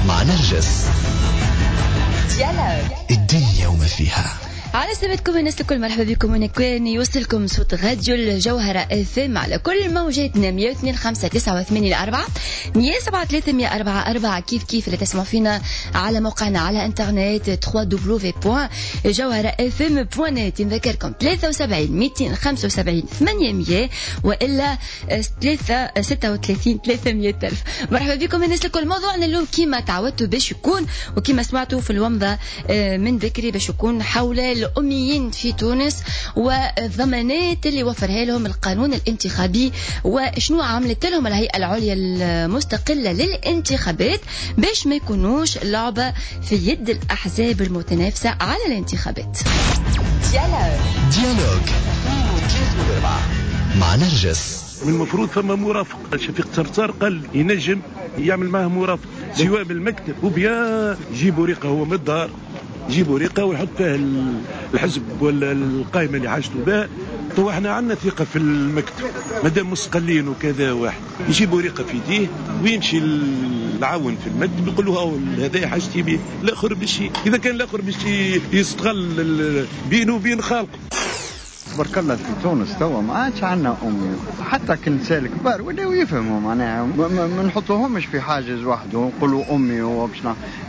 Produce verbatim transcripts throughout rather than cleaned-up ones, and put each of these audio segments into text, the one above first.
مع نرجس. Dialogue. الدنيا وما فيها. على سلامتكم الناس الكل، مرحبا بكم وين كان يوصلكم صوت راديو الجوهرة اف ام على كل موجاتنا مية واثنين خمسة تسعة وثمانين أربعة مية سبعة ثلاثة مية أربعة أربعة، كيف كيف اللي تسمعوا فينا على موقعنا على انترنت دبليو دبليو دوت جوهرة اف ام دوت نت. نذكركم ثلاثة وسبعين مئتين وخمسة وسبعين ثمانمية والا ثلاثة ستة وثلاثين ثلاثمية ألف. مرحبا بكم الناس الكل. موضوعنا اليوم كيما تعودتوا باش يكون وكيما سمعتوا في الومضة من بكري باش يكون حول الأميين في تونس والضمانات اللي وفرها لهم القانون الانتخابي وشنو عملت لهم الهيئة العليا المستقلة للانتخابات باش ما يكونوش لعبة في يد الأحزاب المتنافسة على الانتخابات. Dialogue Dialogue مع نرجس. من المفروض ثم مرافق، شفيق صرصار قال ينجم يعمل معه مرافق سواء بالمكتب وبيا يجيب ورقة هو من الدار، يجيب ورقة ويحط فيها الحزب ولا القائمة اللي حاجته بها. تو احنا عندنا ثقة في المكتب مادام مستقلين وكذا، واحد يجيب ورقة في يديه ويمشي العون في المكتب يقول له هذا حاجتي به، الاخر باش اذا كان الاخر باش يستغل بينه وبين خالقه. تبارك الله في تونس توا ما عادش عندنا امي، حتى كنساء الكبار ولاو يفهموا معناها ما, ما نحطوهمش في حاجز وحده ونقولوا امي هو باش،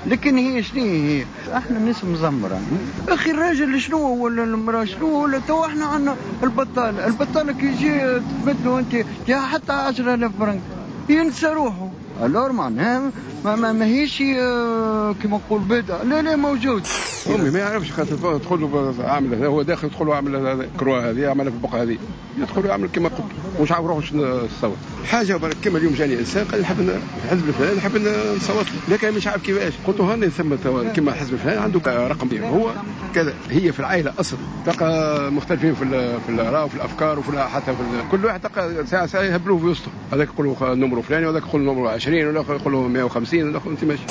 لكن هي شنو هي؟ احنا الناس مزمره. اخي الراجل شنو ولا المراة شنو ولا توا احنا عندنا البطالة، البطالة كي يجي تبدلوا انت يا حتى عشرة آلاف فرنك ينسى روحه. alors معناها ما, ما ماهيش كيما نقول بدعة، لا لا موجود. امي ما يعرفش خاطر تدخل له عامل هذا، هو داخل يدخل له عامل هذا croix هذه عملها في البقعة هذه، يدخل يعمل كما قلت مش عارف روحه شنو الصوت. حاجة برك كما اليوم جاني انسان قال نحب الحزب الفلاني نحب نصوت له، لكن مش عارف كيفاش. قلت له هاني ثم كما الحزب الفلاني عنده رقم هو كذا. هي في العائلة اصلا تلقى مختلفين في في الاراء وفي الافكار وفي حتى في كل واحد تلقى ساعة ساعة يهبلوه في وسطه، هذاك يقول له numéro فلاني وهذاك يقول له numéro عشرين والاخر يقول له مية وخمسين والاخر انت ماشي.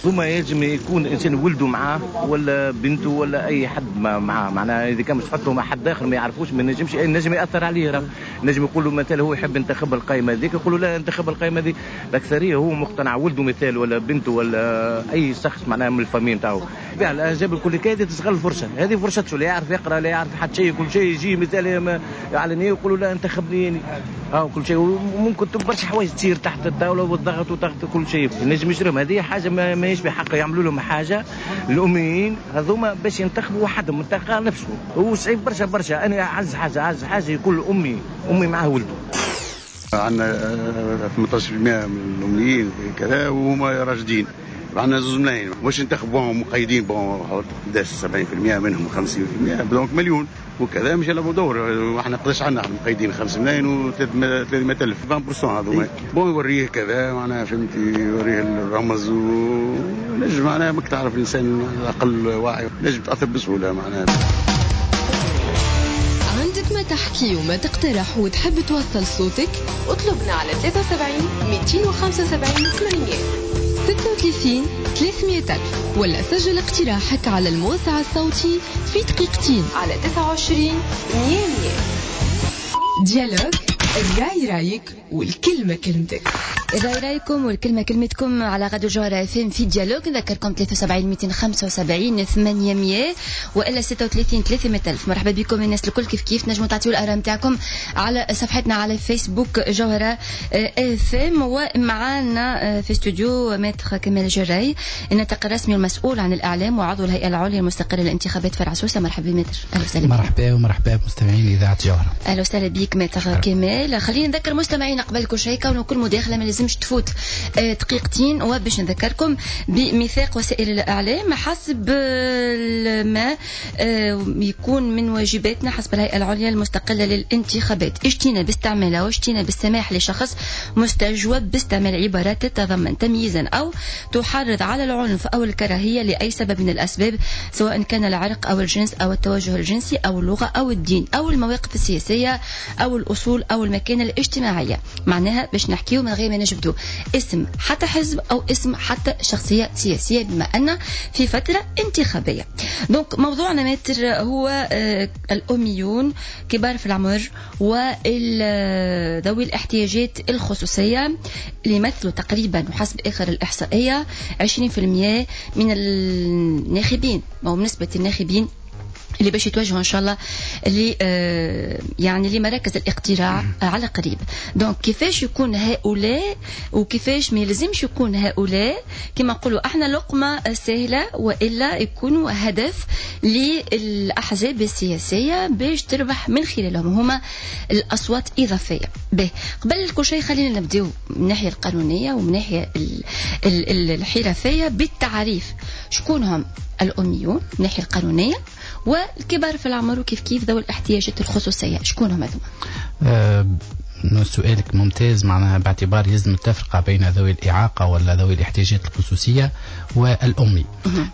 ثم يجب يكون انسان ولده معاه ولا بنته ولا اي حد معاه، معناها اذا كان مش تحطه مع حد اخر ما يعرفوش ما نجمش نجم ياثر عليه. راه نجم يقول له مثلا هو يحب ينتخب القائمة هذيك، يقول له لا انتخب القائمة هذيك. الاكثرية هو مقتنع ولده مثال ولا بنته ولا اي شخص معناها من ال famille نتاعو. الاحزاب الكل كايده تستغل الفرصة هذه، فرصته لا يعرف يقرا لا يعرف حتى شيء، كل شيء يجي مثال علني يقولوا لا انتخبني اه كل شيء. وممكن برشا حوايج تصير تحت الطاولة والضغط وتحت كل شيء نجم يشرهم. هذه حاجة ماهيش بحق يعملوا لهم حاجة الاميين هذوما باش ينتخبوا وحدهم انتخاب نفسه. هو صعيب برشا برشا. انا اعز حاجة اعز حاجة يقول امي امي معاه ولده. عندنا ثمانية عشر بالمئة من الاميين كذا وهما راشدين، عندنا زوج ملايين واش انتخبوهم مقيدين bon حوالي سبعين بالمئة منهم خمسين بالمئة donc مليون وكذا مش يلعبوا دور. واحنا قداش عندنا مقيدين خمسة ملايين و ثلاثمئة ألف عشرين بالمئة هذوما bon يوريه كذا معناها فهمتي، يوريه الرمز ونجم معناها ماك تعرف الانسان اقل واعي نجم تاثر بسهولة معناها. عندك ما تحكي وما تقترح وتحب توصل صوتك، اطلبنا على ثلاثة وسبعين مئتين وخمسة وسبعين ثمانمية ستة وثلاثين ثلاثمية ألف، ولا سجل اقتراحك على الموسع الصوتي في دقيقتين على تسعة وعشرين مية مية. Dialogue، الرأي رايك والكلمة كلمتك. الرأي رايكم والكلمة كلمتكم على راديو جوهرة اف ام في Dialogue. نذكركم ثلاثة وسبعين مئتين وخمسة وسبعين ثمانمية والا ستة وثلاثين ثلاثمية ألف. مرحبا بكم الناس الكل، كيف كيف نجموا تعطيوا الآراء نتاعكم على صفحتنا على فيسبوك جوهرة اف ام. ومعنا في استوديو maître كمال جراي، الناطق الرسمي المسؤول عن الإعلام وعضو الهيئة العليا المستقلة للانتخابات فرع سوسة. مرحبا maître، أهلا وسهلا. مرحبا ومرحبا بمستمعين إذاعة جوهرة. أهلا وسهلا بك maître كمال. خلينا نذكر مستمعينا قبل كل شيء كونه كل مداخلة ما لازمش تفوت دقيقتين، وباش نذكركم بميثاق وسائل الإعلام حسب ما يكون من واجباتنا حسب الهيئة العليا المستقلة للانتخابات اجتناب باستعمالها واجتناب السماح لشخص مستجوب باستعمال عبارات تتضمن تمييزا أو تحرض على العنف أو الكراهية لأي سبب من الأسباب، سواء كان العرق أو الجنس أو التوجه الجنسي أو اللغة أو الدين أو المواقف السياسية أو الأصول أو المبادئ المكانة الاجتماعية. معناها باش نحكيو من غير ما نجبدو اسم حتى حزب أو اسم حتى شخصية سياسية، بما أن في فترة انتخابية. donc موضوعنا maître هو الأميون، كبار في العمر وذوي الاحتياجات الخصوصية، اللي يمثلوا تقريبا وحسب آخر الإحصائية عشرين بالمئة من الناخبين، أو نسبة الناخبين اللي باش يتوجهوا ان شاء الله ل يعني لمراكز الاقتراع على قريب. donc كيفاش يكون هؤلاء وكيفاش ما يلزمش يكون هؤلاء كما نقولوا احنا لقمة سهلة، والا يكونوا هدف للاحزاب السياسية باش تربح من خلالهم هما الاصوات اضافية. به قبل كل شيء خلينا نبداو من الناحية القانونية ومن الناحية الحرفية بالتعريف، شكون هم الأميون من الناحية القانونية والكبار في العمر وكيف كيف ذوي الاحتياجات الخصوصية، شكون هم هذوما؟ أه سؤالك ممتاز، معناها باعتبار يلزم التفرقة بين ذوي الإعاقة ولا ذوي الاحتياجات الخصوصية والأمي.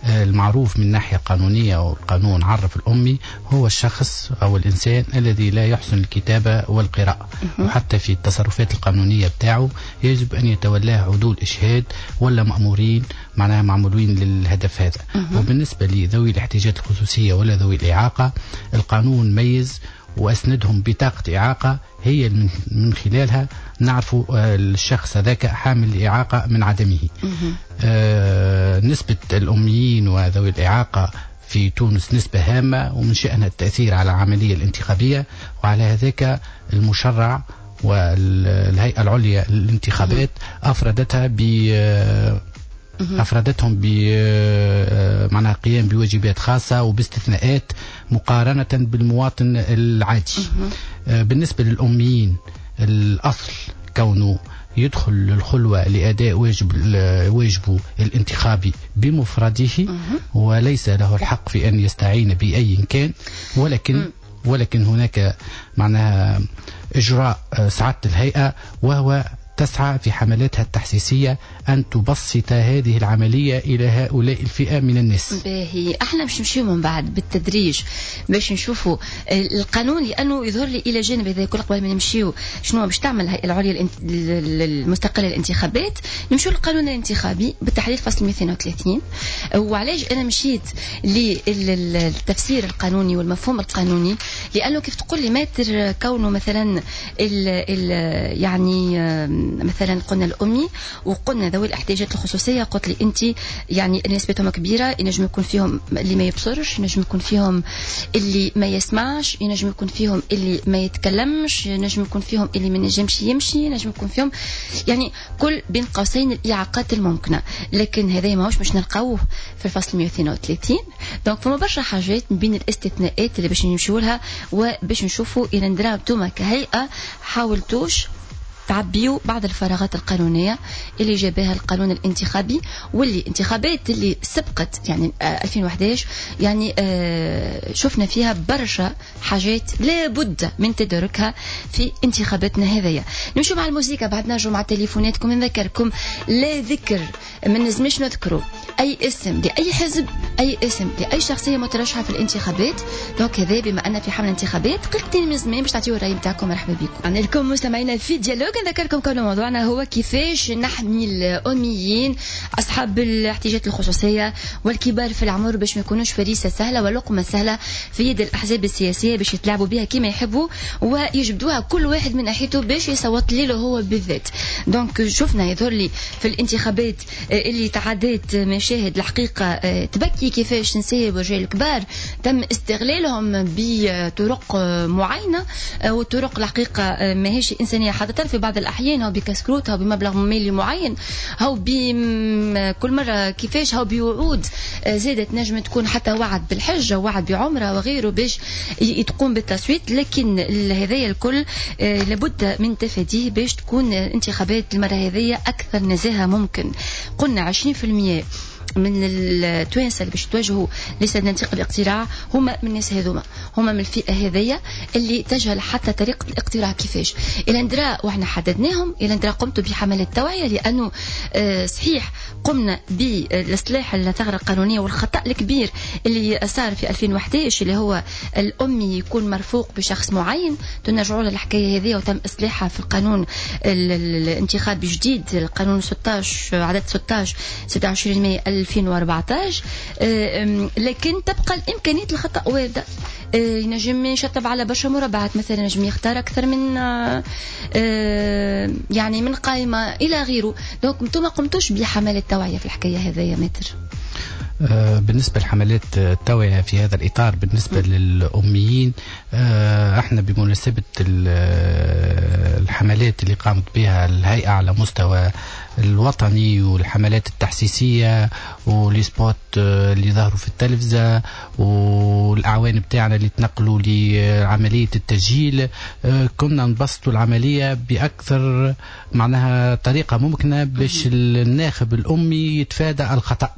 أه المعروف من الناحية القانونية، والقانون عرف الأمي هو الشخص أو الإنسان الذي لا يحسن الكتابة والقراءة، وحتى في التصرفات القانونية بتاعه يجب أن يتولاه عدول إشهاد ولا مأمورين، معناها معمولين للهدف هذا. وبالنسبة لذوي الاحتياجات الخصوصية ولا ذوي الإعاقة، القانون ميز وأسندهم بطاقة إعاقة هي من خلالها نعرف الشخص هذاك حامل الإعاقة من عدمه. آه نسبة الأميين وذوي الإعاقة في تونس نسبة هامة، ومن شأنها التأثير على العملية الانتخابية، وعلى هذاك المشرع والهيئة العليا للانتخابات أفردتها ب أفردتهم ب معناها قيام بواجبات خاصة وباستثناءات مقارنة بالمواطن العادي. بالنسبة للأميين الأصل كونه يدخل الخلوة لأداء واجب واجبه الانتخابي بمفرده، وليس له الحق في أن يستعين بأي كان، ولكن ولكن هناك معناها إجراء سعادة الهيئة، وهو تسعى في حملاتها التحسيسية أن تبسط هذه العملية إلى هؤلاء الفئة من الناس. باهي، احنا باش نمشيو من بعد بالتدريج باش نشوفوا القانون، لأنه يظهر لي إلى جانب هذا كل قبل ما نمشيو شنو باش تعمل الهيئة العليا المستقلة للانتخابات، نمشيو للقانون الانتخابي بالتحديد فصل مئتين وثلاثين. وعلاش أنا مشيت للتفسير القانوني والمفهوم القانوني؟ لأنه كيف تقول لي ماتر كونه مثلا ال ال يعني مثلا قلنا الأمي وقلنا ذوي الاحتياجات الخصوصية، قلت لي أنت يعني نسبتهم كبيرة، ينجم يكون فيهم اللي ما يبصرش، ينجم يكون فيهم اللي ما يسمعش، ينجم يكون فيهم اللي ما يتكلمش، ينجم يكون فيهم اللي ما ينجمش يمشي، ينجم يكون فيهم يعني كل بين قوسين الإعاقات الممكنة. لكن هذا ماهوش باش نلقاوه في الفصل مئة واثنين وثلاثين. donc فما برشا حاجات من بين الاستثناءات اللي باش نمشيو لها وباش نشوفوا إلى ندرا انتوما كهيئة حاولتوش تعبيوا بعض الفراغات القانونية اللي جابها القانون الانتخابي، واللي انتخابات اللي سبقت يعني ألفين وأحد عشر يعني شفنا فيها برشا حاجات لابد من تداركها في انتخاباتنا هذيا. نمشوا مع الموسيقى بعد نرجعوا مع تليفوناتكم. نذكركم لا ذكر، ما نلزمش نذكروا أي اسم لأي حزب، أي اسم لأي شخصية مترشحة في الانتخابات. donc هذا بما أن في حملة انتخابات قلتين من زمان باش تعطيو الرأي نتاعكم. مرحبا بكم عندنا لكم مستمعينا في dialogue. نذكركم كون موضوعنا هو كيفاش نحمي الأميين أصحاب الاحتياجات الخصوصية والكبار في العمر باش ما يكونوش فريسة سهلة ولقمة سهلة في يد الأحزاب السياسية باش يتلعبوا بها كما يحبوا ويجبدوها كل واحد من ناحيته باش يصوت له هو بالذات. donc شفنا يظهر لي في الانتخابات اللي تعدت مشاهد الحقيقة تبكي كيفاش نساء ورجال كبار تم استغلالهم بطرق معينة، وطرق الحقيقة ماهيش إنسانية حتى في بعض الأحيان، أو بكسكروت أو بمبلغ مالي معين أو بكل مرة كيفاش أو بوعود زادت نجم تكون حتى وعد بالحجة وعد بعمرة وغيره باش تقوم بالتصويت. لكن هذايا الكل لابد من تفاديه باش تكون انتخابات المرة هذية أكثر نزاهة ممكن. قلنا عشرين بالمئة من التوانسة اللي باش يتوجهوا لصناديق الاقتراع هما من الناس هذوما، هما من الفئة هذيا اللي تجهل حتى طريقه الاقتراع كيفاش. الى ندرا واحنا حددناهم، الى ندرا قمتوا بحملات توعيه، لانه صحيح قمنا بالاصلاح الثغرة القانونية والخطا الكبير اللي صار في ألفين وأحد عشر اللي هو الامي يكون مرفوق بشخص معين، تنرجعوا للحكايه هذه وتم اصلاحها في القانون الانتخابي الجديد، القانون ستة عشر عدد ستة عشر ستة وعشرين ماي ألفين وأربعة عشر. لكن تبقى الامكانية الخطا وارده، ينجم يشطب على برشا مربعات مثلا، ينجم يختار اكثر من يعني من قائمة الى غيره. donc انتم ما قمتوش بحملات توعيه في الحكاية هذه يا maître؟ بالنسبة لحملات التوعية في هذا الإطار بالنسبة م. للأميين، احنا بمناسبة الحملات اللي قامت بها الهيئة على مستوى الوطني والحملات التحسيسية و les spots اللي ظهروا في التلفزة والأعوان بتاعنا اللي تنقلوا لعملية التسجيل، كنا نبسطوا العملية بأكثر معناها طريقة ممكنة باش الناخب الأمي يتفادى الخطأ.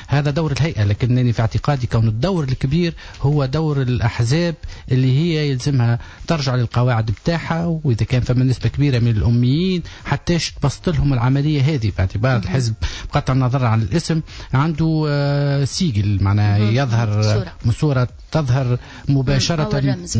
هذا دور الهيئة، لكنني في اعتقادي كون الدور الكبير هو دور الأحزاب اللي هي يلزمها ترجع للقواعد بتاعها، وإذا كان فما نسبة كبيرة من الأميين حتى تبسط لهم العملية هذه، باعتبار الحزب بقطع النظر عن الاسم عنده sigle معناها يظهر صورة. صورة تظهر مباشرة، رمز,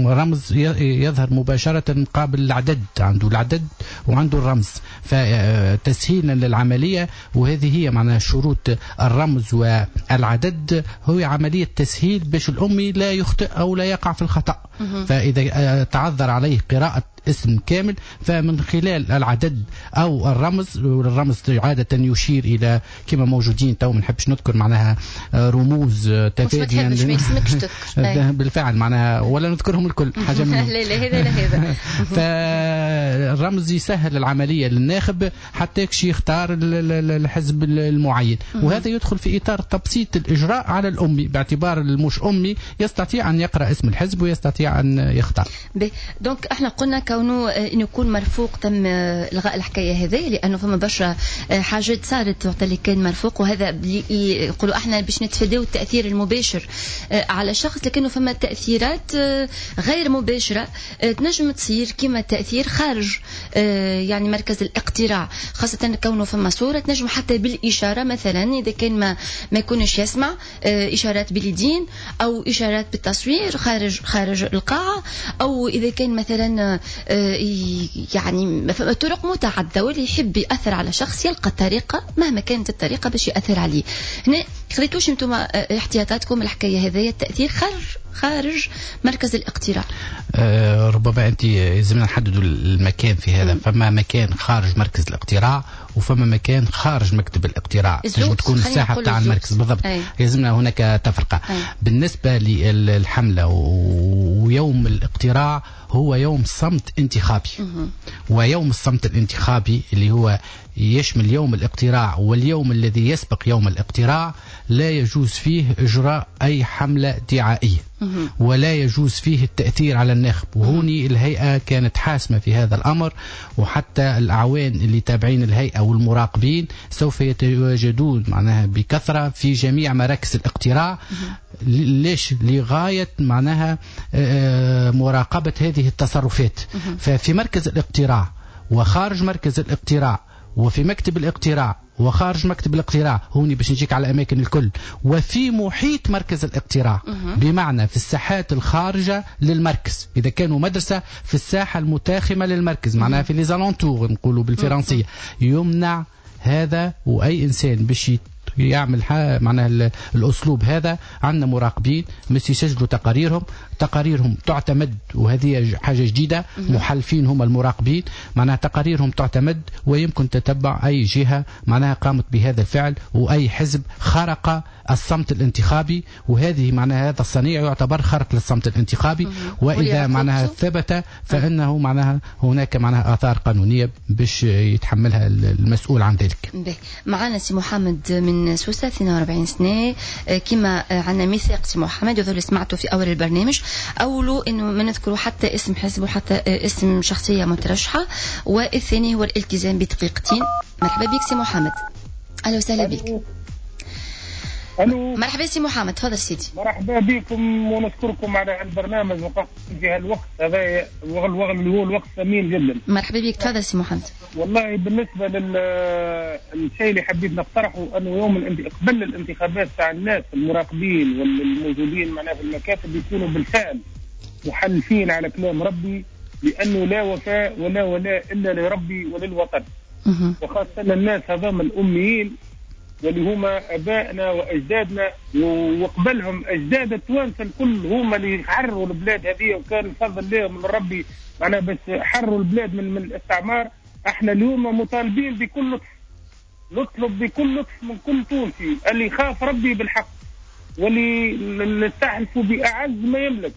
رمز يظهر مباشرة مقابل العدد، عنده العدد وعنده الرمز، فتسهيلا للعملية. وهذه هي معناها شروط الرمز والعدد، هو عملية تسهيل باش الأمي لا يخطئ أو لا يقع في الخطأ. فإذا تعذر عليه قراءة اسم كامل فمن خلال العدد أو الرمز، والرمز عادة يشير إلى كما موجودين تو ما نحبش نذكر معناها رموز تفاديا بالفعل معناها ولا نذكرهم الكل حاجة منهم. لا لا هذا لا هذا. فالرمز يسهل العملية للناخب حتى يكشي يختار الحزب المعين، وهذا يدخل في إطار تبسيط الإجراء على الأمي، باعتبار المش أمي يستطيع أن يقرأ اسم الحزب ويستطيع أن يختار. donc احنا قلنا كونه انه يكون مرفوق تم الغاء الحكاية هذه، لانه فما برشا حاجات صارت وقت اللي كان مرفوق، وهذا يقولوا احنا باش نتفاداو التاثير المباشر على الشخص، لكنه فما تاثيرات غير مباشرة تنجم تصير كما تاثير خارج يعني مركز الاقتراع، خاصة كونه فما صوره تنجم حتى بالاشارة مثلا اذا كان ما ما يكونش يسمع، اشارات باليدين او اشارات بالتصوير خارج خارج القاعة، او اذا كان مثلا يعني طرق متعددة، واللي يحب يأثر على شخص يلقى طريقة مهما كانت الطريقة باش يأثر عليه. هنا خذيتوش انتم احتياطاتكم الحكاية هذيا التأثير خارج خارج مركز الاقتراع؟ أه ربما انت لازمنا نحددوا المكان في هذا. م. فما مكان خارج مركز الاقتراع وفما مكان خارج مكتب الاقتراع، تنجم تكون الساحة بتاع المركز بالضبط، لازمنا هناك تفرقة. أي. بالنسبة للحملة ويوم الاقتراع هو يوم صمت انتخابي. م. ويوم الصمت الانتخابي اللي هو يشمل يوم الاقتراع واليوم الذي يسبق يوم الاقتراع لا يجوز فيه إجراء أي حملة دعائية ولا يجوز فيه التأثير على الناخب. وهوني الهيئة كانت حاسمة في هذا الأمر، وحتى الأعوان اللي تابعين الهيئة والمراقبين سوف يتواجدون معناها بكثرة في جميع مراكز الاقتراع. ليش؟ لغاية معناها مراقبة هذه التصرفات. ففي مركز الاقتراع وخارج مركز الاقتراع وفي مكتب الاقتراع وخارج مكتب الاقتراع، هوني باش نجيك على أماكن الكل، وفي محيط مركز الاقتراع، بمعنى في الساحات الخارجة للمركز، إذا كانوا مدرسة في الساحة المتاخمة للمركز، معناها في les alentours نقولوا بالفرنسية، يمنع هذا. وأي إنسان باش يعمل معناها الأسلوب هذا عندنا مراقبين مش يسجلوا تقاريرهم، تقاريرهم تعتمد، وهذه حاجة جديدة، محلفين هم المراقبين، معناها تقاريرهم تعتمد ويمكن تتبع أي جهة معناها قامت بهذا الفعل وأي حزب خرق الصمت الانتخابي، وهذه معناها هذا الصنيع يعتبر خرق للصمت الانتخابي، وإذا معناها ثبت فإنه معناها هناك معناها آثار قانونية باش يتحملها المسؤول عن ذلك. معنا سي محمد من سوسة، اثنين وأربعين سنة، كما عندنا ميثاق سي محمد وذو اللي سمعته في أول البرنامج، أولو أنه ما نذكروا حتى اسم حزب وحتى اسم شخصية مترشحة، والثاني هو الالتزام بدقيقتين. مرحبا بك سي محمد، أهلا وسهلا بك. الو، مرحبا سي محمد، تفضل سيدي. مرحبا بكم ونشكركم على البرنامج وقفت في هالوقت هذا اللي هو الوقت ثمين جدا. مرحبا بك، تفضل سي محمد. والله بالنسبة للشيء اللي حبيت نقترحه انه يوم الانت... قبل الانتخابات تاع الناس المراقبين والموجودين معنا في المكاتب يكونوا بالفعل محلفين على كلام ربي، لانه لا وفاء ولا ولاء الا لربي وللوطن، وخاصة الناس هذام الاميين واللي هما ابائنا واجدادنا وقبلهم اجداد التوانسة الكل، هما اللي حرروا البلاد هذه وكان الفضل لهم من ربي معناها باش حرروا البلاد من من الاستعمار. احنا اليوم مطالبين بكل لطف، نطلب بكل لطف من كل تونسي اللي يخاف ربي بالحق واللي نستحلفوا باعز ما يملك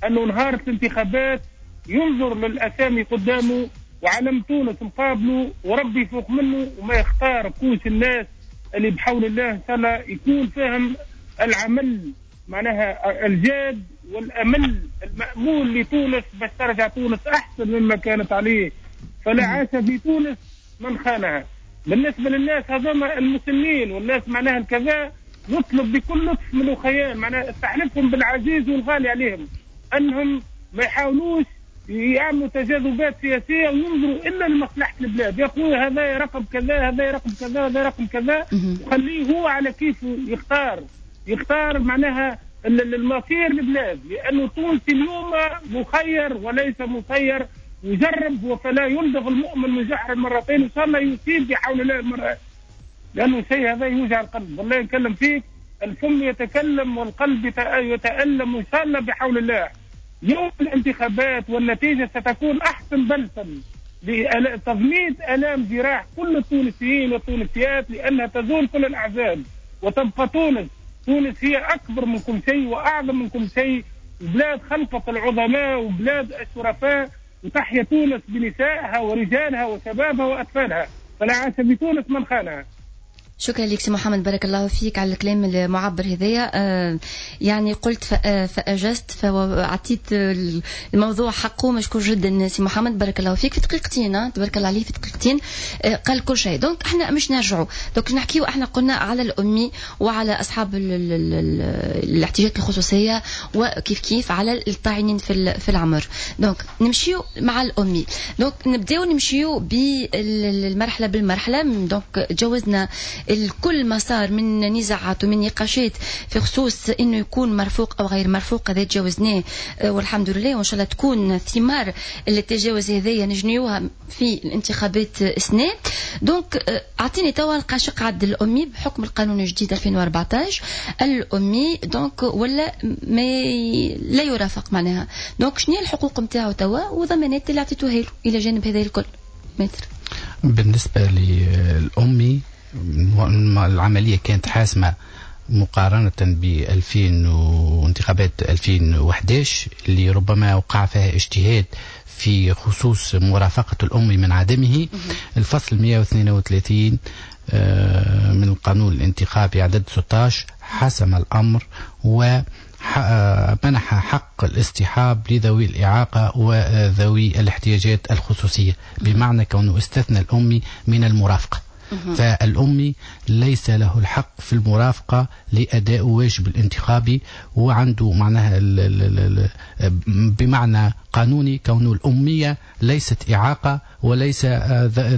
انه نهار الانتخابات ينظر للاسامي قدامه وعلم تونس مقابله وربي فوق منه، وما يختار كوش الناس اللي بحول الله ان شاء الله يكون فهم العمل معناها الجاد والامل المامول لتونس باش ترجع تونس احسن مما كانت عليه. فلا عاش في تونس من خانها. بالنسبة للناس هذوما المسلمين والناس معناها الكذا، نطلب بكل لطف من الخيال معناها استحلفهم بالعزيز والغالي عليهم انهم ما يحاولوش يعملوا تجاذبات سياسية وينظروا الا لمصلحة البلاد. يا خويا هذا رقم كذا، هذا رقم كذا، هذا رقم كذا، وخليه هو على كيفه يختار، يختار معناها المصير البلاد، لانه تونس اليوم مخير وليس مسير، وجرب فلا يلدغ المؤمن من جحر مرتين، ان شاء الله يصيب بحول الله المرة، لانه الشيء هذا يوجع القلب. والله نكلم فيك الفم يتكلم والقلب يتألم، وان شاء الله بحول الله يوم الانتخابات والنتيجة ستكون أحسن بلسم لتضميد آلام جراح كل التونسيين والتونسيات، لأنها تزول كل الأحزاب وتبقى تونس. تونس هي أكبر من كل شيء وأعظم من كل شيء، وبلاد خلقت العظماء وبلاد الشرفاء، وتحيا تونس بنسائها ورجالها وشبابها وأطفالها، فلا عاش في تونس من خانها. شكرا لك سي محمد، بارك الله فيك على الكلام المعبر هذايا. آه يعني قلت فأجزت فأعطيت الموضوع حقه، مشكور جدا سي محمد، بارك الله فيك. في دقيقتين تبارك الله عليه، في دقيقتين آه قال كل شيء. donc احنا مش نرجعوا donc نحكيو، احنا قلنا على الأمي وعلى أصحاب ال ال ال الاحتياجات الخصوصية وكيف كيف على الطاعنين في في العمر. donc نمشيو مع الأمي، donc نبداو نمشيو بالمرحلة بالمرحلة. donc تجاوزنا الكل ما صار من نزاعات ومن نقاشات في خصوص انه يكون مرفوق او غير مرفوق، هذا تجاوزناه والحمد لله، وان شاء الله تكون ثمار التجاوز هذايا نجنيوها في الانتخابات السنة. donc اعطيني توا القاشق عد الامي بحكم القانون الجديد ألفين وأربعطاش، الامي donc ولا ما لا يرافق معناها. donc شنو هي الحقوق نتاعو توا وضمانات اللي عطيتوها له الى جانب هذا الكل متر؟ بالنسبة للامي العملية كانت حاسمة مقارنة ب ألفين وانتخابات ألفين وأحد عشر اللي ربما وقع فيها اجتهاد في خصوص مرافقة الأم من عدمه. الفصل مئة واثنين وثلاثين من القانون الانتخابي عدد ستة عشر حسم الأمر و منح حق الاصطحاب لذوي الإعاقة وذوي الاحتياجات الخصوصية، بمعنى كونه استثنى الأمي من المرافقة. فالأمي ليس له الحق في المرافقة لأداء واجب الانتخابي، وعنده معناها بمعنى قانوني كون الأمية ليست إعاقة وليس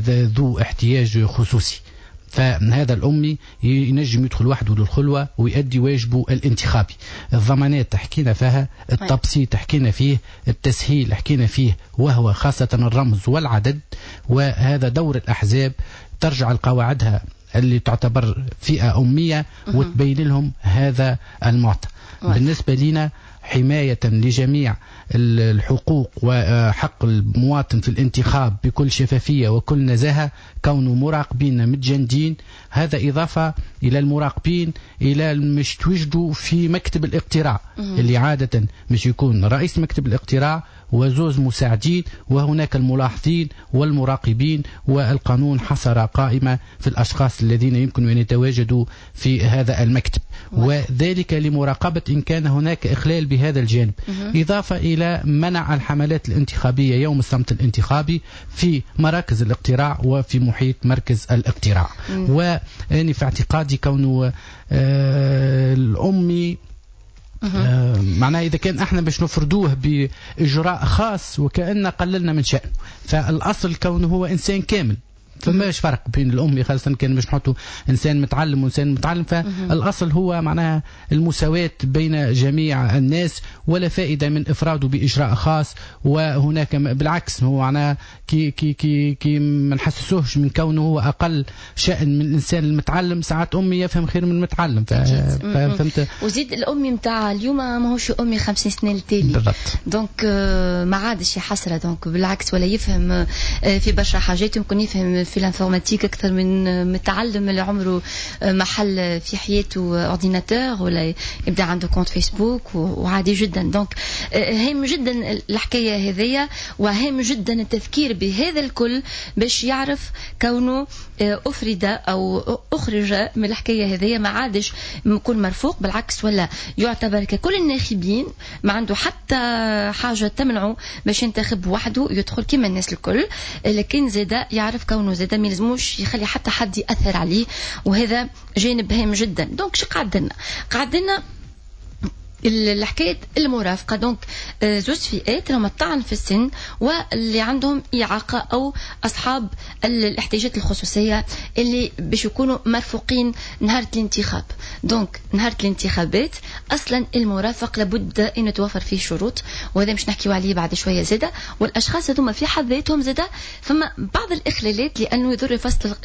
ذو احتياج خصوصي. فهذا الأمي ينجم يدخل وحده للخلوة ويؤدي واجبه الانتخابي. الضمانات حكينا فيها، التبسيط حكينا فيه، التسهيل حكينا فيه، وهو خاصة الرمز والعدد، وهذا دور الأحزاب ترجع لقواعدها اللي تعتبر فئة أمية وتبين لهم هذا المعطى. بالنسبة لنا حماية لجميع الحقوق وحق المواطن في الانتخاب بكل شفافية وكل نزاهة، كونه مراقبين متجندين، هذا إضافة إلى المراقبين إلى مش توجدوا في مكتب الاقتراع اللي عادة مش يكون رئيس مكتب الاقتراع وزوز مساعدين، وهناك الملاحظين والمراقبين، والقانون حصر قائمة في الأشخاص الذين يمكن أن يتواجدوا في هذا المكتب، وذلك لمراقبة إن كان هناك إخلال بهذا الجانب. إضافة إلى منع الحملات الانتخابية يوم الصمت الانتخابي في مراكز الاقتراع وفي محيط مركز الاقتراع. وأنا في اعتقادي كونه آه الأمي آه معناها إذا كان احنا باش نفرضوه بإجراء خاص وكأن قللنا من شأنه، فالأصل كونه هو إنسان كامل، فماش فرق بين الأمي خاصة كان باش نحطوا إنسان متعلم وإنسان متعلم، فالأصل هو معناها المساواة بين جميع الناس، ولا فائدة من إفراده بإجراء خاص. وهناك بالعكس هو معناها كي كي كي كي ما نحسسوهش من كونه هو أقل شأن من الإنسان المتعلم. ساعات أمي يفهم خير من المتعلم، فهمت. وزيد الأمي نتاع اليوم ماهوش أمي خمسين سنة التالي بالضبط، donc ما عادش حسرة، donc بالعكس ولا يفهم في برشا حاجات، يمكن يفهم في l'informatique اكثر من متعلم اللي عمره محل في حياته ordinateur ولا يبدا عنده compte فيسبوك وعادي جدا. donc هام جدا الحكاية هذيا، وهام جدا التفكير بهذا الكل باش يعرف كونه افرد او اخرج من الحكاية هذيا، ما عادش يكون مرفوق، بالعكس ولا يعتبر ككل الناخبين، ما عنده حتى حاجة تمنعه باش ينتخب وحده، يدخل كما الناس الكل، لكن زاده يعرف كونه زاده ما يلزموش يخلي حتى حد يأثر عليه، وهذا جانب هام جدا. donc شو قعدنا؟ قعدنا الحكاية المرافقة. donc زوج فئات هما الطعن في السن واللي عندهم إعاقة أو أصحاب الاحتياجات الخصوصية اللي باش يكونوا مرفوقين نهار الانتخاب. donc نهار الانتخابات أصلا المرافق لابد أن توفر فيه شروط، وهذا مش نحكيو عليه بعد شوية زادة. والأشخاص هذوما في حد ذاتهم زادة فما بعض الإخلالات، لأنه يضر فصل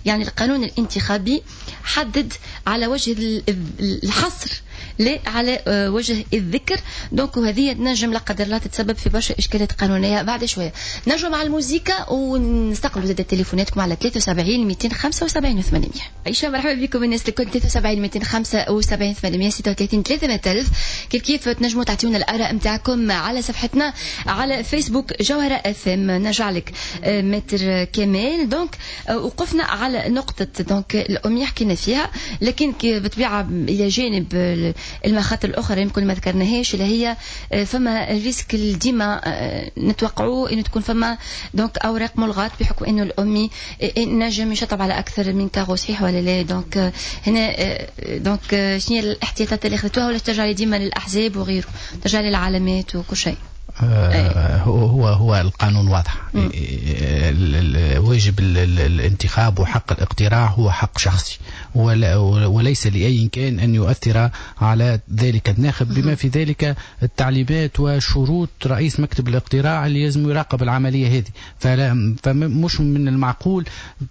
يعني القانون الانتخابي حدد على وجه الحصر لا على وجه الذكر. donc وهذه تنجم لا قدر الله تتسبب في برشا اشكالات قانونية بعد شوية. نرجعوا مع الموسيقى ونستقبلوا زاد تليفوناتكم على ثلاثة وسبعين مئتين وخمسة وسبعين ثمانمية. عيشه مرحبا بكم الناس الكل، ثلاثة وسبعين مئتين وخمسة وسبعين ثمانمية ستة وثلاثين ثلاثمية ألف. كيف كيف تنجموا تعطيونا الاراء نتاعكم على صفحتنا على فيسبوك جوهره اف ام. نرجع لك maître كمال. donc وقفنا على نقطة donc الامية حكينا فيها، لكن بالطبيعة الى جانب المخاطر الاخرى يمكن ما ذكرناهاش اللي هي فما ال risque اللي ديما نتوقعوه انه تكون فما donc اوراق ملغات بحكم انه الامي نجم يشطب على اكثر من carreau، صحيح ولا لا؟ donc هنا donc شنو هي الاحتياطات اللي اخذتوها، ولا ترجع ديما للاحزاب وغيره، ترجع للعلامات وكل شيء؟ هو هو هو القانون واضح، واجب الانتخاب وحق الاقتراع هو حق شخصي، وليس لأي كان أن يؤثر على ذلك الناخب، بما في ذلك التعليمات وشروط رئيس مكتب الاقتراع اللي لازم يراقب العملية هذه. فمش من المعقول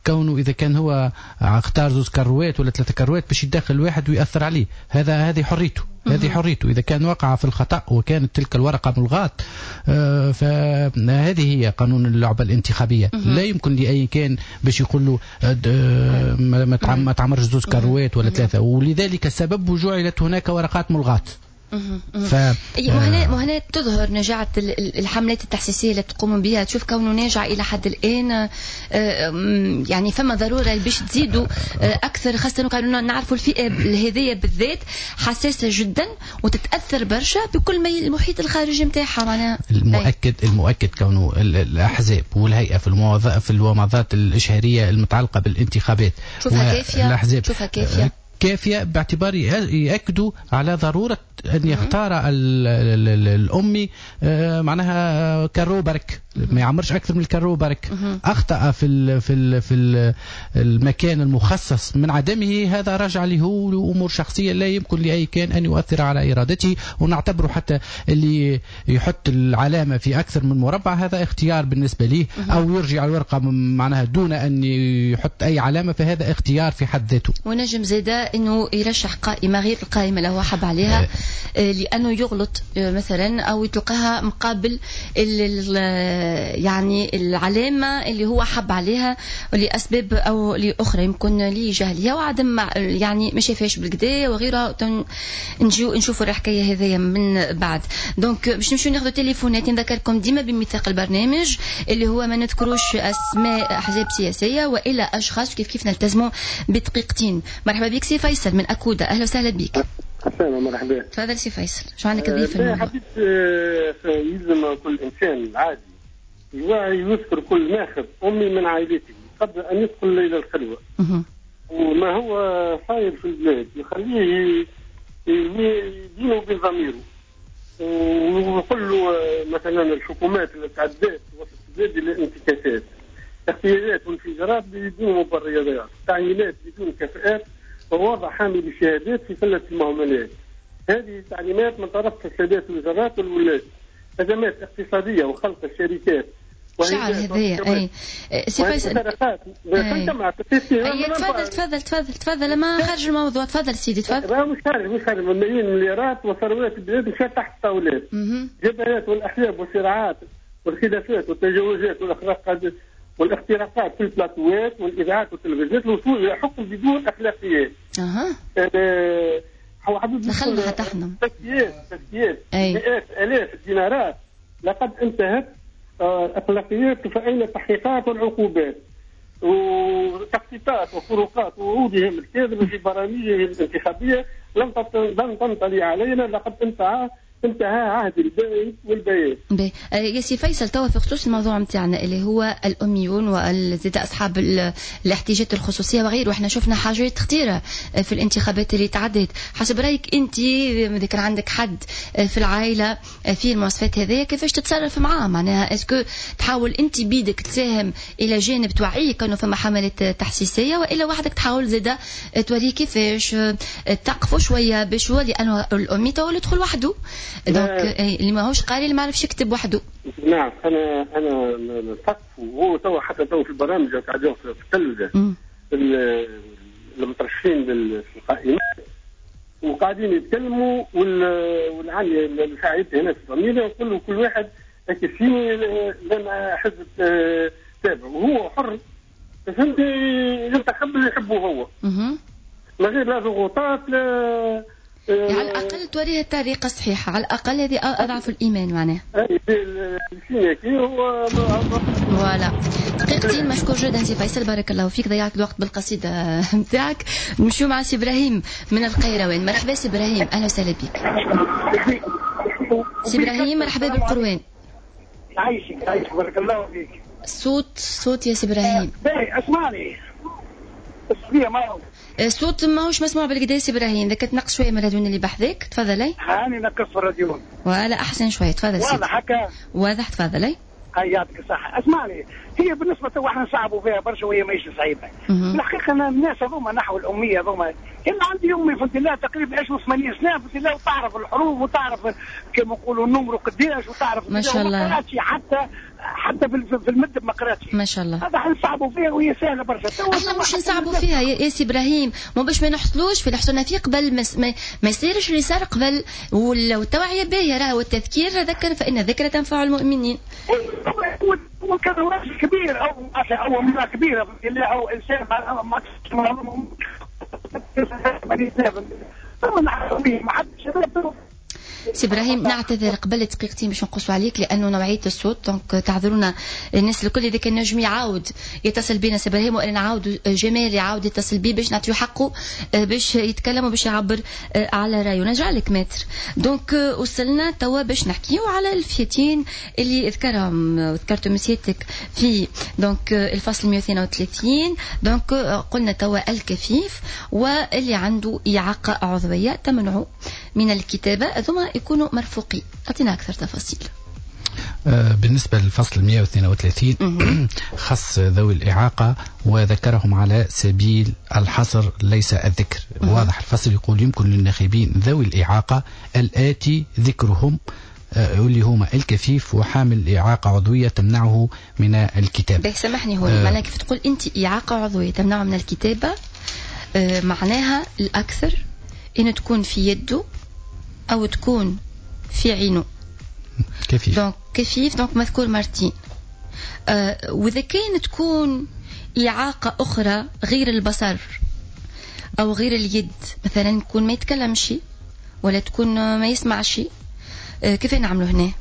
كونه إذا كان هو اختار زوز كروات ولا ثلاثة كروات باش يدخل واحد ويأثر عليه، هذا هذه حريته، هذه حريته. إذا كان وقع في الخطأ وكانت تلك الورقة ملغاة فهذه هي قانون اللعبة الانتخابية. لا يمكن لأي كان باش يقول له ما تعمرش زوز كروات ولا ثلاثة، ولذلك السبب جعلت هناك ورقات ملغاة. ف... وهنا وهنا تظهر نجاعة الحملات التحسيسية اللي تقوم بها، تشوف كونه ناجع إلى حد الآن، يعني فما ضرورة باش تزيدوا أكثر، خاصة كانوا نعرفوا الفئة هذية بالذات حساسة جدا وتتأثر برشا بكل ما المحيط الخارجي نتاعها. معناها المؤكد المؤكد كونه الأحزاب والهيئة في المواضيع في الومضات الإشهارية المتعلقة بالانتخابات شوفها كافية، شوفها كافية كافية باعتبار يأكدوا على ضرورة أن يختار الأمي معناها carreau برك، ما يعمرش أكثر من ال carreau برك. أخطأ في ال في ال في المكان المخصص من عدمه، هذا رجع له لأمور شخصية لا يمكن لأي كان أن يؤثر على إرادته. ونعتبره حتى اللي يحط العلامة في أكثر من مربع هذا اختيار بالنسبة ليه، أو يرجع الورقة معناها دون أن يحط أي علامة، فهذا اختيار في حد ذاته. ونجم زاده أنه يرشح قائمة غير القائمة اللي هو حب عليها لأنه يغلط مثلا أو يتلقاها مقابل ال يعني العلامة اللي هو حب عليها لاسباب او لاخرى، يمكن لجهلها وعدم يعني ما شافهاش بالكدا وغيرها. نجيو نشوفوا الحكاية هذيا من بعد. donc باش نمشيو ناخذوا تليفونات. نذكركم ديما بميثاق البرنامج اللي هو ما نذكروش اسماء احزاب سياسية والا اشخاص، كيف كيف نلتزموا بدقيقتين. مرحبا بك سي فيصل من اكودا، اهلا وسهلا بك. السلام، مرحبا. تفضل سي فيصل، شو عندك تضيف في الموضوع؟ حبيت يلزم كل انسان عادي يذكر كل ناخب امي من عائلته قبل ان يدخل الى الخلوة. وما هو صاير في البلاد يخليه يدينه بضميره ويقول له مثلا الحكومات اللي تعدات وسط البلاد الى انتكاسات، اغتيالات وانفجارات بدون مبررات، تعيينات بدون كفاءات، ووضع حامل الشهادات في سلة المهملات. هذه تعليمات من طرف السادات الوزارات والولاة. أزمات اقتصادية وخلق الشركات. شعر هذايا. اي سي فيصل. اي تفضل تفضل تفضل تفضل، ما خارج الموضوع، تفضل سيدي تفضل. مش خارج مش خارج، ملايين المليارات وثروات البلاد مشات تحت الطاولات. جبهات والاحزاب والصراعات والخلافات والتجاوزات والاخراقات والاختراقات في البلاتوات والاذاعات والتلفزيونات الوصول الى حكم بدون اخلاقيات. اها. هو حبيبي دخلنا حتى احنا تسكيات تسكيات مئات الاف الدينارات. لقد انتهت الاخلاقيات، فاين التحقيقات والعقوبات وتخطيطات وفروقات وعودهم الكاذبة في برامجهم الانتخابية لم لم تنطلي علينا. لقد انتهى انتهى عهد البيت والبيان. باهي يا سي فيصل، توا في خصوص الموضوع نتاعنا اللي هو الاميون وزيد اصحاب الاحتياجات الخصوصية وغيره، احنا شفنا حاجات خطيرة في الانتخابات اللي تعدت. حسب رايك انت اذا كان عندك حد في العائلة في المواصفات هذيا كيفاش تتصرف معاه؟ معناها est-ce que تحاول انت بيدك تساهم الى جانب توعيه كانوا فما حملات تحسيسيه، والا وحدك تحاول زاده توريه كيفاش تقفوا شوية باش هو، لانه الامي تو يدخل وحده، donc اللي ماهوش قاري اللي ما عرفش يكتب وحده. نعم انا انا نثقف، وهو تو حتى تو في البرامج قاعدين في التلفزة المترشحين في القائمات وقاعدين يتكلموا، والعالي اللي هنا في الضمير يقول كل واحد اكفيني لما حزب تابع وهو حر، فهمتي، ينتخب اللي يحبه هو من غير لا ضغوطات لا. يعني على الأقل توريه الطريقة الصحيحة، على الأقل هذه أضعف الإيمان معناها. voilà دقيقتين. مشكور جدا سي فيصل، بارك الله فيك، ضيعت الوقت بالقصيدة نتاعك. نمشيو مع سي إبراهيم من القيروان. مرحبا سي إبراهيم، أهلا وسهلا بك. سي إبراهيم مرحبا بالقروان. عايشك عايشك، بارك الله فيك. صوت صوت يا سي إبراهيم. باهي اسمعني. الصوت ماهوش مسموع بالكدا سي ابراهيم، اذا كنت شوية من الراديو اللي بحذاك تفضلي. هاني نقص الراديو. ولا احسن شوية، تفضل سيدي. واضح هكا؟ واضح، تفضلي. هاي يعطيك الصحة. اسمعني، هي بالنسبة تو احنا نصعبوا فيها برشا وهي ماهيش صعيبة. الحقيقة أنا الناس هذوما نحو الأمية هذوما، كان عندي أمي في الله تقريبا عشرة وثمانين سنة في الله، وتعرف الحروف وتعرف كما نقولوا النمر قداش وتعرف ما شاء الله. ما قراتش حتى حتى في المد ما قراتش. ما شاء الله. هذا احنا نصعبوا فيها وهي سهلة برشا. احنا مش نصعبوا فيها يا سي إبراهيم، مو باش ما نحصلوش في اللي حصلنا فيه قبل، ما, ما, ما يصيرش اللي صار قبل، والتوعية باهية راهو، والتذكير ذكر فإن الذكرى تنفع المؤمنين. وكان راجل كبير او او امراة كبيرة او انسان ما سي ابراهيم نعتذر قبل دقيقتين باش نقصوا عليك لانه نوعية الصوت، donc تعذرونا الناس الكل. اذا كان نجم يعاود يتصل بينا سي ابراهيم، وانا نعاود جمال يعاود يتصل بيه باش نعطيو حقه باش يتكلم وباش يعبر على رايه. نرجع لك maître. donc وصلنا توا باش نحكيو على الفئتين اللي ذكرهم ذكرتهم سيادتك في donc الفصل مئة واثنين وثلاثين. donc قلنا توا الكفيف واللي عنده اعاقه عضوية تمنعه من الكتابة، ثم يكونوا مرفوقين. أعطينا أكثر تفاصيل. بالنسبة للفصل مئة واثنين وثلاثين خص ذوي الإعاقة وذكرهم على سبيل الحصر ليس الذكر. واضح الفصل يقول يمكن للناخبين ذوي الإعاقة الآتي ذكرهم، واللي هما الكفيف وحامل إعاقة عضوية تمنعه من الكتابة. سامحني هو آه معناها كيف تقول أنت إعاقة عضوية تمنعه من الكتابة، آه معناها الأكثر إن تكون في يده أو تكون في عينه. كفيف. donc كفيف، donc مذكور مرتين. وإذا كانت تكون إعاقة أخرى غير البصر أو غير اليد، مثلا يكون ما يتكلمش ولا تكون ما يسمعش، كيف نعملوا هنا؟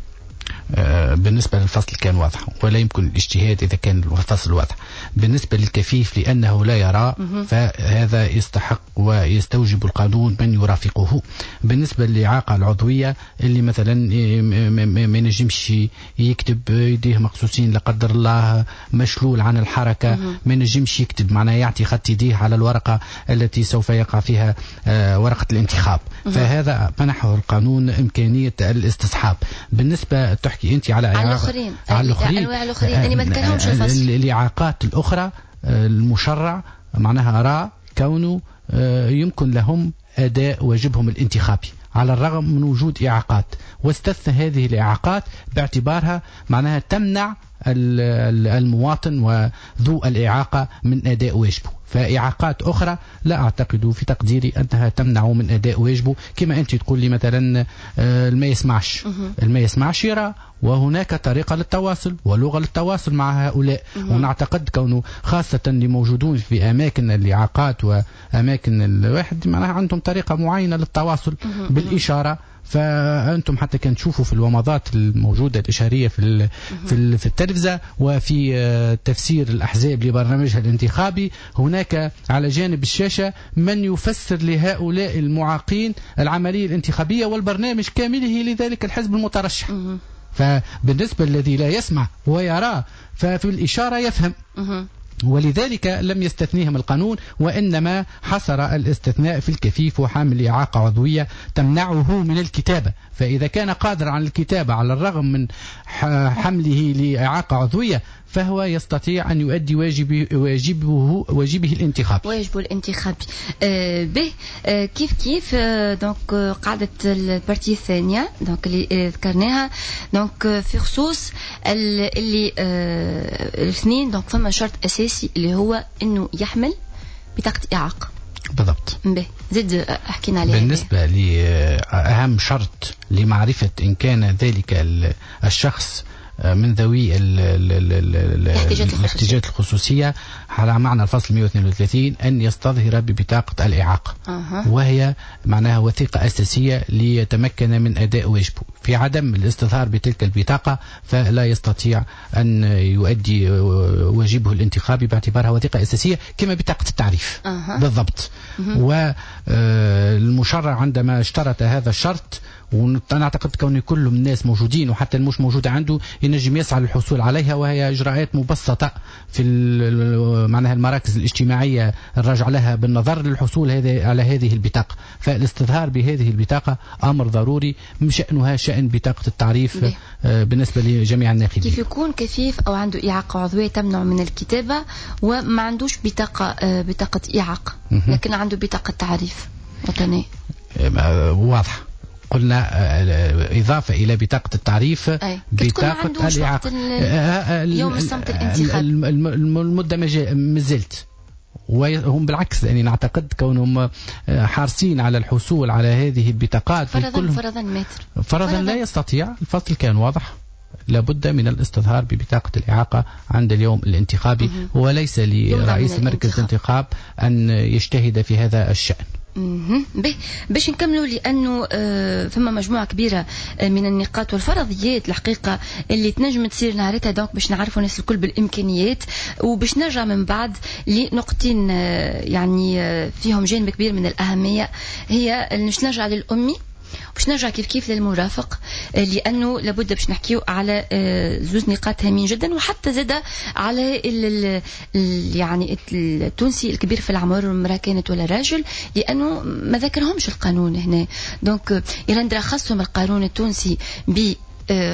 بالنسبة للفصل كان واضح ولا يمكن الاجتهاد إذا كان الفصل واضح. بالنسبة للكفيف لأنه لا يرى فهذا يستحق ويستوجب القانون من يرافقه. بالنسبة للإعاقة العضوية اللي مثلا ما ينجمش يكتب، يديه مقصوصين لا قدر الله، مشلول عن الحركة، ما ينجمش يكتب، معناه يعطي خط يديه على الورقة التي سوف يقع فيها ورقة الانتخاب، فهذا منحه القانون إمكانية الاستصحاب. بالنسبة تحكي انت على على الاخرين، على الاخرين انواع الاخرين اللي ما ذكرهمش الفصل، الاعاقات الاخرى المشرع معناها راى كونه يمكن لهم اداء واجبهم الانتخابي على الرغم من وجود اعاقات، واستثنى هذه الاعاقات باعتبارها معناها تمنع المواطن وذو الإعاقة من أداء واجبه. فإعاقات أخرى لا أعتقد في تقديري أنها تمنع من أداء واجبه، كما أنت تقول لي مثلا ما يسمعش، ما يسمعش يرى، وهناك طريقة للتواصل ولغة للتواصل مع هؤلاء. ونعتقد كونه خاصة اللي موجودون في أماكن الإعاقات وأماكن الواحد معناها عندهم طريقة معينة للتواصل بالإشارة. فأنتم حتى كان تشوفوا في الومضات الموجودة الإشارية في في التلفزة وفي تفسير الأحزاب لبرنامجها الانتخابي، هناك على جانب الشاشة من يفسر لهؤلاء المعاقين العملية الانتخابية والبرنامج كاملة لذلك الحزب المترشح. فبالنسبة الذي لا يسمع ويرى ففي الإشارة يفهم، ولذلك لم يستثنيهم القانون، وإنما حصر الاستثناء في الكفيف وحامل إعاقة عضوية تمنعه من الكتابة. فإذا كان قادر على الكتابة على الرغم من حمله لإعاقة عضوية فهو يستطيع أن يؤدي واجبه, واجبه, واجبه الانتخابي. واجبه الانتخابي. آه به آه كيف كيف آه donc قاعدة ال partie الثانية donc اللي ذكرناها donc في خصوص اللي آه الاثنين، donc فما شرط أساسي اللي هو أنه يحمل بطاقة إعاقة. بالضبط. به زد حكينا عليه. بالنسبة لأهم شرط لمعرفة إن كان ذلك الشخص من ذوي الاحتياجات الخصوصية على معنى الفصل مئة واثنين وثلاثين أن يستظهر ببطاقة الإعاقة، أه. وهي معناها وثيقة أساسية ليتمكن من أداء واجبه. في عدم الاستظهار بتلك البطاقة فلا يستطيع أن يؤدي واجبه الانتخابي باعتبارها وثيقة أساسية كما بطاقة التعريف. أه. بالضبط. والمشرع عندما اشترط هذا الشرط، وانا اعتقد كون كل الناس موجودين وحتى المش موجود عنده ينجم يسعى للحصول عليها، وهي اجراءات مبسطة في معناها المراكز الاجتماعية الراجع لها بالنظر للحصول هذه على هذه البطاقة. فالاستظهار بهذه البطاقة امر ضروري، شانها شان بطاقة التعريف بالنسبة لجميع الناخبين. كيف يكون كفيف او عنده اعاقه عضوية تمنع من الكتابة وما عندوش بطاقة بطاقة اعاقه لكن عنده بطاقة تعريف وطنية واضحة، قلنا إضافة إلى بطاقة التعريف بطاقة الإعاقة. يوم الصمت الانتخابي المدة ما زلت، وهم بالعكس يعني نعتقد كونهم حارسين على الحصول على هذه البطاقات. فرضا فرضا متر فرضا لا يستطيع، الفصل كان واضح، لابد من الاستظهار ببطاقة الإعاقة عند اليوم الانتخابي، وليس لرئيس مركز الانتخاب أن يجتهد في هذا الشأن. به باش نكملوا لانه فما مجموعة كبيرة من النقاط والفرضيات الحقيقة اللي تنجم تصير نهارتها، donc باش نعرفوا الناس الكل بالامكانيات، وباش نرجع من بعد لنقطتين يعني فيهم جانب كبير من الاهمية، هي باش نرجع للامي باش نرجع كيف كيف للمرافق، لانه لابد باش نحكيو على زوز نقاط هامين جدا، وحتى زاد على ال ال يعني التونسي الكبير في العمر امراة كانت ولا راجل، لانه ما ذكرهمش القانون هنا. donc إلى خصهم القانون التونسي ب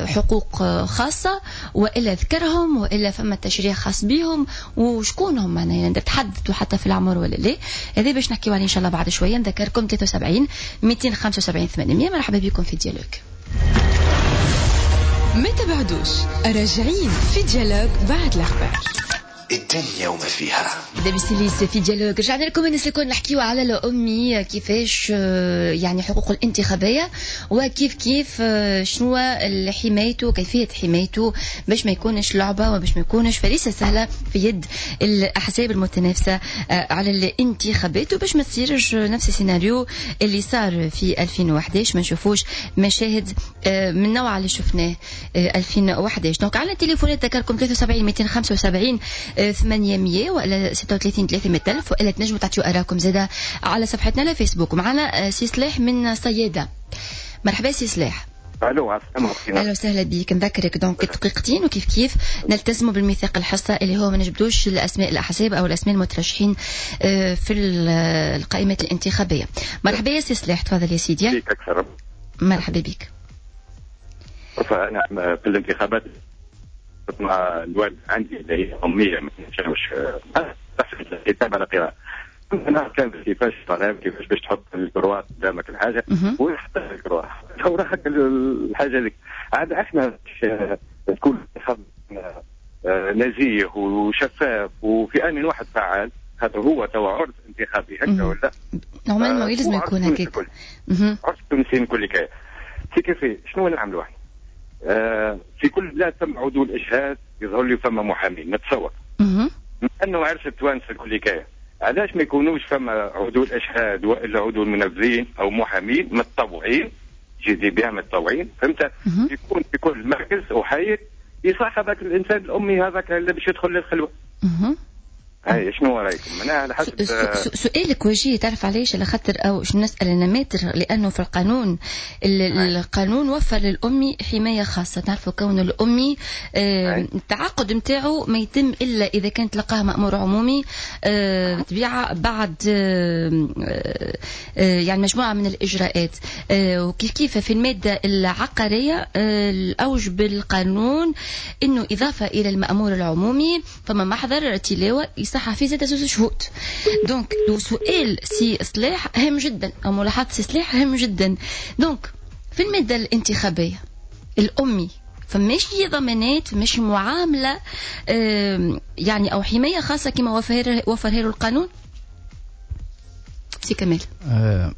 حقوق خاصة وإلا ذكرهم وإلا فما تشريع خاص بهم وشكون هم معناها تحددوا حتى في العمر ولا لا. هذا باش نحكيو عليه إن شاء الله بعد شوية. نذكركم ثلاثة وسبعين مئتين وخمسة وسبعين ثمانمية. مرحبا بكم في Dialogue. ما تبعدوش، راجعين في Dialogue بعد الأخبار. الدنيا وما فيها. دبي في dialogue رجعنا لكم الناس الكل نحكيو على الأمي كيفاش يعني حقوقه الانتخابية وكيف كيف شنو حمايته كيفية حمايته باش ما يكونش لعبة وباش ما يكونش فريسة سهلة في يد الأحزاب المتنافسة على الانتخابات وباش ما تصيرش نفس السيناريو اللي صار في ألفين وأحد عشر ما نشوفوش مشاهد من النوع اللي شفناه ألفين وأحد عشر. donc على التليفونات ذكركم ثلاثة وسبعين مئتين وخمسة وسبعين ثمانمية ولا ستة وثلاثين ثلاثمية ألف وإلا تنجموا تعطيو آراءكم زادة على صفحتنا على فيسبوك. معنا سي صلاح من صيادة. مرحبا سي صلاح. الو عسلامة. اهلا وسهلا بك. نذكرك donc دقيقتين وكيف كيف نلتزموا بالميثاق الحصة اللي هو ما نجبدوش الاسماء الاحزاب او الاسماء المترشحين في القائمات الانتخابية. مرحبا يا سي صلاح، تفضل يا سيدي. بك اكثر. مرحبا بك. انا في الانتخابات مع الوالد عندي اللي هي امية ما نجمش الكتابة على قراءة. انا كان كيفاش طلب كيفاش باش تحط ال croix قدامك الحاجة ويحط ال croix وراحت الحاجة هذيك. عاد احنا تكون نزيه وشفاف وفي ان واحد فعال، خاطر هو توا عرس انتخابي هكا ولا normalement يلزم يكون هكاك عرس التونسيين الكل كاين سي كيفي. شنو نعملوا احنا؟ آه في كل بلاد ثم عدول اشهاد يظهر لي فما محامين نتصور انه عرس التوانسة الكل كاين، علاش ما يكونوش فما عدول اشهاد والا عدول منفذين او محامين متطوعين جدي بها متطوعين فهمت؟ يكون في كل مركز وحي يصاحب هذاك الانسان الامي هذاك اللي باش يدخل للخلوه. هاي شنو رايكم؟ انا على حسب سؤالك وجيه. تعرف علاش؟ على خاطر او شنو نسال انا ماتر، لانه في القانون القانون وفر للامي حماية خاصة. تعرفوا كون الامي التعاقد نتاعو ما يتم الا اذا كان تلقاه مامور عمومي طبيعة بعد يعني مجموعة من الاجراءات. وكيف كيف في المادة العقارية الاوجب القانون انه اضافه الى المامور العمومي فما محضر تلاوة صح في زاد زوج شهود. donc سؤال سي صلاح هام جدا او ملاحظة سي صلاح هام جدا. donc في المادة الانتخابية الامي فماش ضمانات، فماش معاملة يعني او حماية خاصة كما وفر وفرها له القانون؟ سي كمال. آه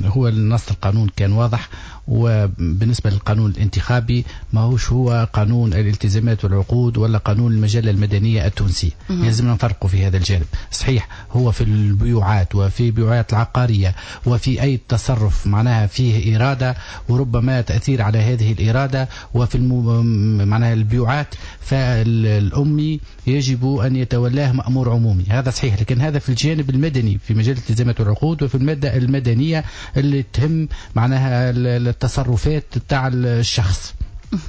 هو النص القانون كان واضح، وبالنسبة للقانون الانتخابي ما هوش هو قانون الالتزامات والعقود ولا قانون المجلة المدنية التونسية، لازم نفرقوا في هذا الجانب. صحيح هو في البيوعات وفي بيوعات العقارية وفي أي تصرف معناها فيه إرادة وربما تأثير على هذه الإرادة، وفي المو... معناها البيوعات فالأمي يجب أن يتولاه مأمور عمومي، هذا صحيح، لكن هذا في الجانب المدني في مجال الالتزامات والعقود وفي المادة المدنية اللي تهم معناها التصرفات تاع الشخص.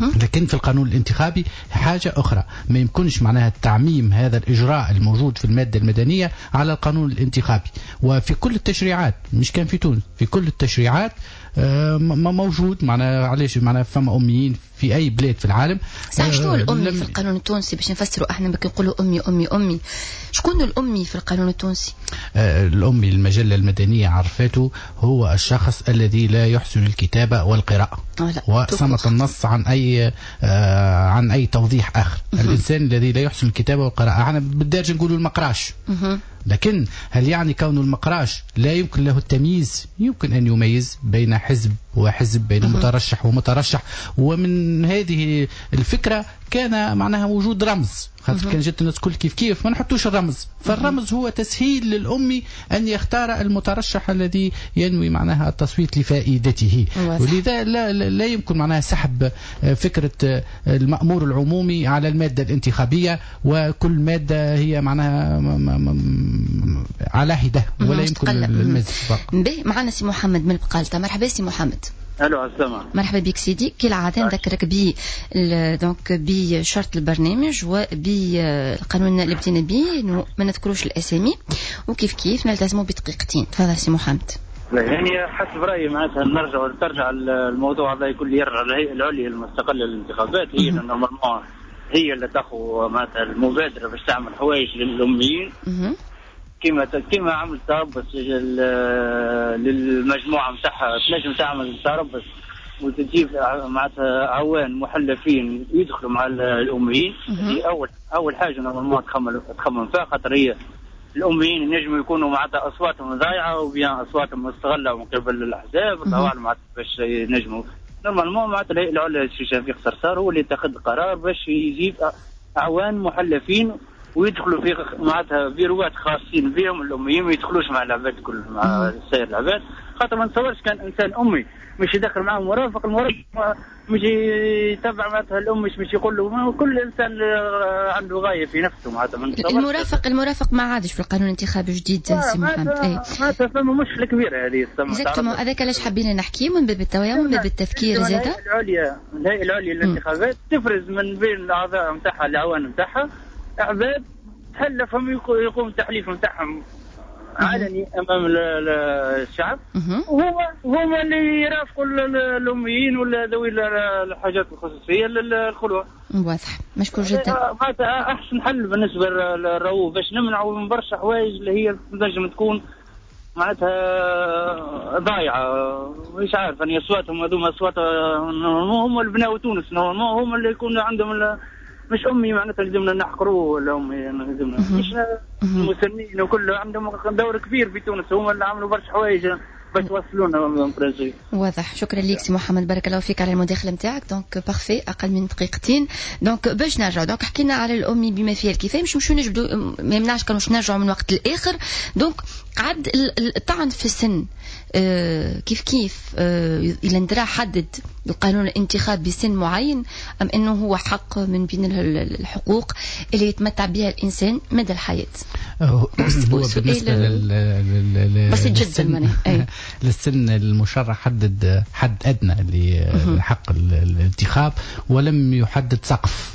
لكن في القانون الانتخابي حاجة أخرى، ما يمكنش معناها تعميم هذا الإجراء الموجود في المادة المدنية على القانون الانتخابي. وفي كل التشريعات، مش كان في تونس، في كل التشريعات موجود معناها. علاش معناها فما أميين في أي بلاد في العالم. صح. شنو الأمي في القانون التونسي باش نفسروا احنا بك نقولوا أمي أمي أمي، شكون الأمي في القانون التونسي؟ آه الأمي المجلة المدنية عرفته هو الشخص الذي لا يحسن الكتابة والقراءة، وصمت النص عن أي آه عن أي توضيح آخر. الإنسان الذي لا يحسن الكتابة والقراءة، احنا بالدارجة نقولوا المقراش. لكن هل يعني كون المقراش لا يمكن له التمييز؟ يمكن أن يميز بين حزب وحزب، بين مترشح ومترشح. ومن هذه الفكرة كان معناها وجود رمز، خاطر كان جت الناس كل كيف كيف ما نحطوش الرمز. فالرمز هو تسهيل للأمي أن يختار المترشح الذي ينوي معناها التصويت لفائدته. ولذا لا, لا يمكن معناها سحب فكرة المأمور العمومي على المادة الانتخابية، وكل مادة هي معناها على حدة ولا يمكن المزج. به معنا سي محمد من بقالتا. مرحبا سي محمد. الو عسلامة. مرحبا بك سيدي. كالعادة نذكرك ب donc بشرط البرنامج وبالقانون اللي بدينا به انه ما نذكروش الاسامي وكيف كيف نلتزموا بدقيقتين. تفضل سي محمد. يعني حسب رايي معناتها نرجع ترجع الموضوع هذا يكون يرجع للهيئة العليا المستقلة للانتخابات، هي normalement هي اللي تاخذ معناتها المبادرة باش تعمل حوايج للاميين كما كما عمل تربص للمجموعة نتاعها، تنجم تعمل تربص وتجيب معناتها عوان محلفين يدخلوا مع الاميين. هذه اول اول حاجة normalement تخمم تخمم فيها، خاطر هي الاميين ينجموا يكونوا معناتها اصواتهم ضايعة ou bien اصواتهم مستغله من قبل الاحزاب، الله اعلم معناتها باش ينجموا normalement معناتها الهيئة العليا السي شفيق صرصار هو اللي اتخذ قرار باش يجيب اعوان محلفين ويدخلوا في معناتها بيروات خاصين بهم الاميين، ما يدخلوش مع العباد كل مع سائر العباد، خاطر ما نتصورش كان انسان امي مش يدخل معه مرافق، المرافق مش يتبع معناتها الام، مش مش يقول له، كل انسان عنده غاية في نفسه معناتها. المرافق المرافق ما عادش في القانون الانتخابي الجديد سي محمد. اي معناتها فما مشكلة كبيرة هذه. exactement، هذاك علاش حبينا نحكي من باب التوعية ومن باب التفكير زاده. الهيئة العليا الهيئة العليا للانتخابات تفرز من بين الاعضاء نتاعها العوان نتاعها عباد تحلفهم يقوم التحليف نتاعهم علني امام الشعب، وهما هما اللي يرافقوا الاميين ولا ذوي الحاجات الخصوصية للخلوه. واضح، مشكور جدا. معناتها احسن حل بالنسبة للرؤوف باش نمنعوا من برشا حوايج اللي هي تنجم تكون معناتها ضايعة، مش عارف انا اصواتهم هذوما اصوات هم اللي بناو تونس، هم اللي يكون عندهم مش امي معناتها لازمنا نحقروه ولا امي لازمنا مش المسنين وكل عندهم دور كبير في تونس، هما اللي عملوا برشا حوايج باش توصلونا projet. واضح، شكرا لك سي محمد، بارك الله فيك على المداخلة نتاعك. donc parfait، اقل من دقيقتين. donc باش نرجع، donc حكينا على الامي بما فيها الكفاية، مش نمشيو نجبدوا، ما يمنعش كانوا نرجعوا من وقت لاخر. donc قعد الطعن في السن آه كيف كيف آه الى ندرا حدد القانون الانتخابي بسن معين ام انه هو حق من بين الحقوق اللي يتمتع بها الانسان مدى الحياة؟ هو بالنسبة لل بسيط جدا للسن المشرع حدد حد ادنى لحق الانتخاب ولم يحدد سقف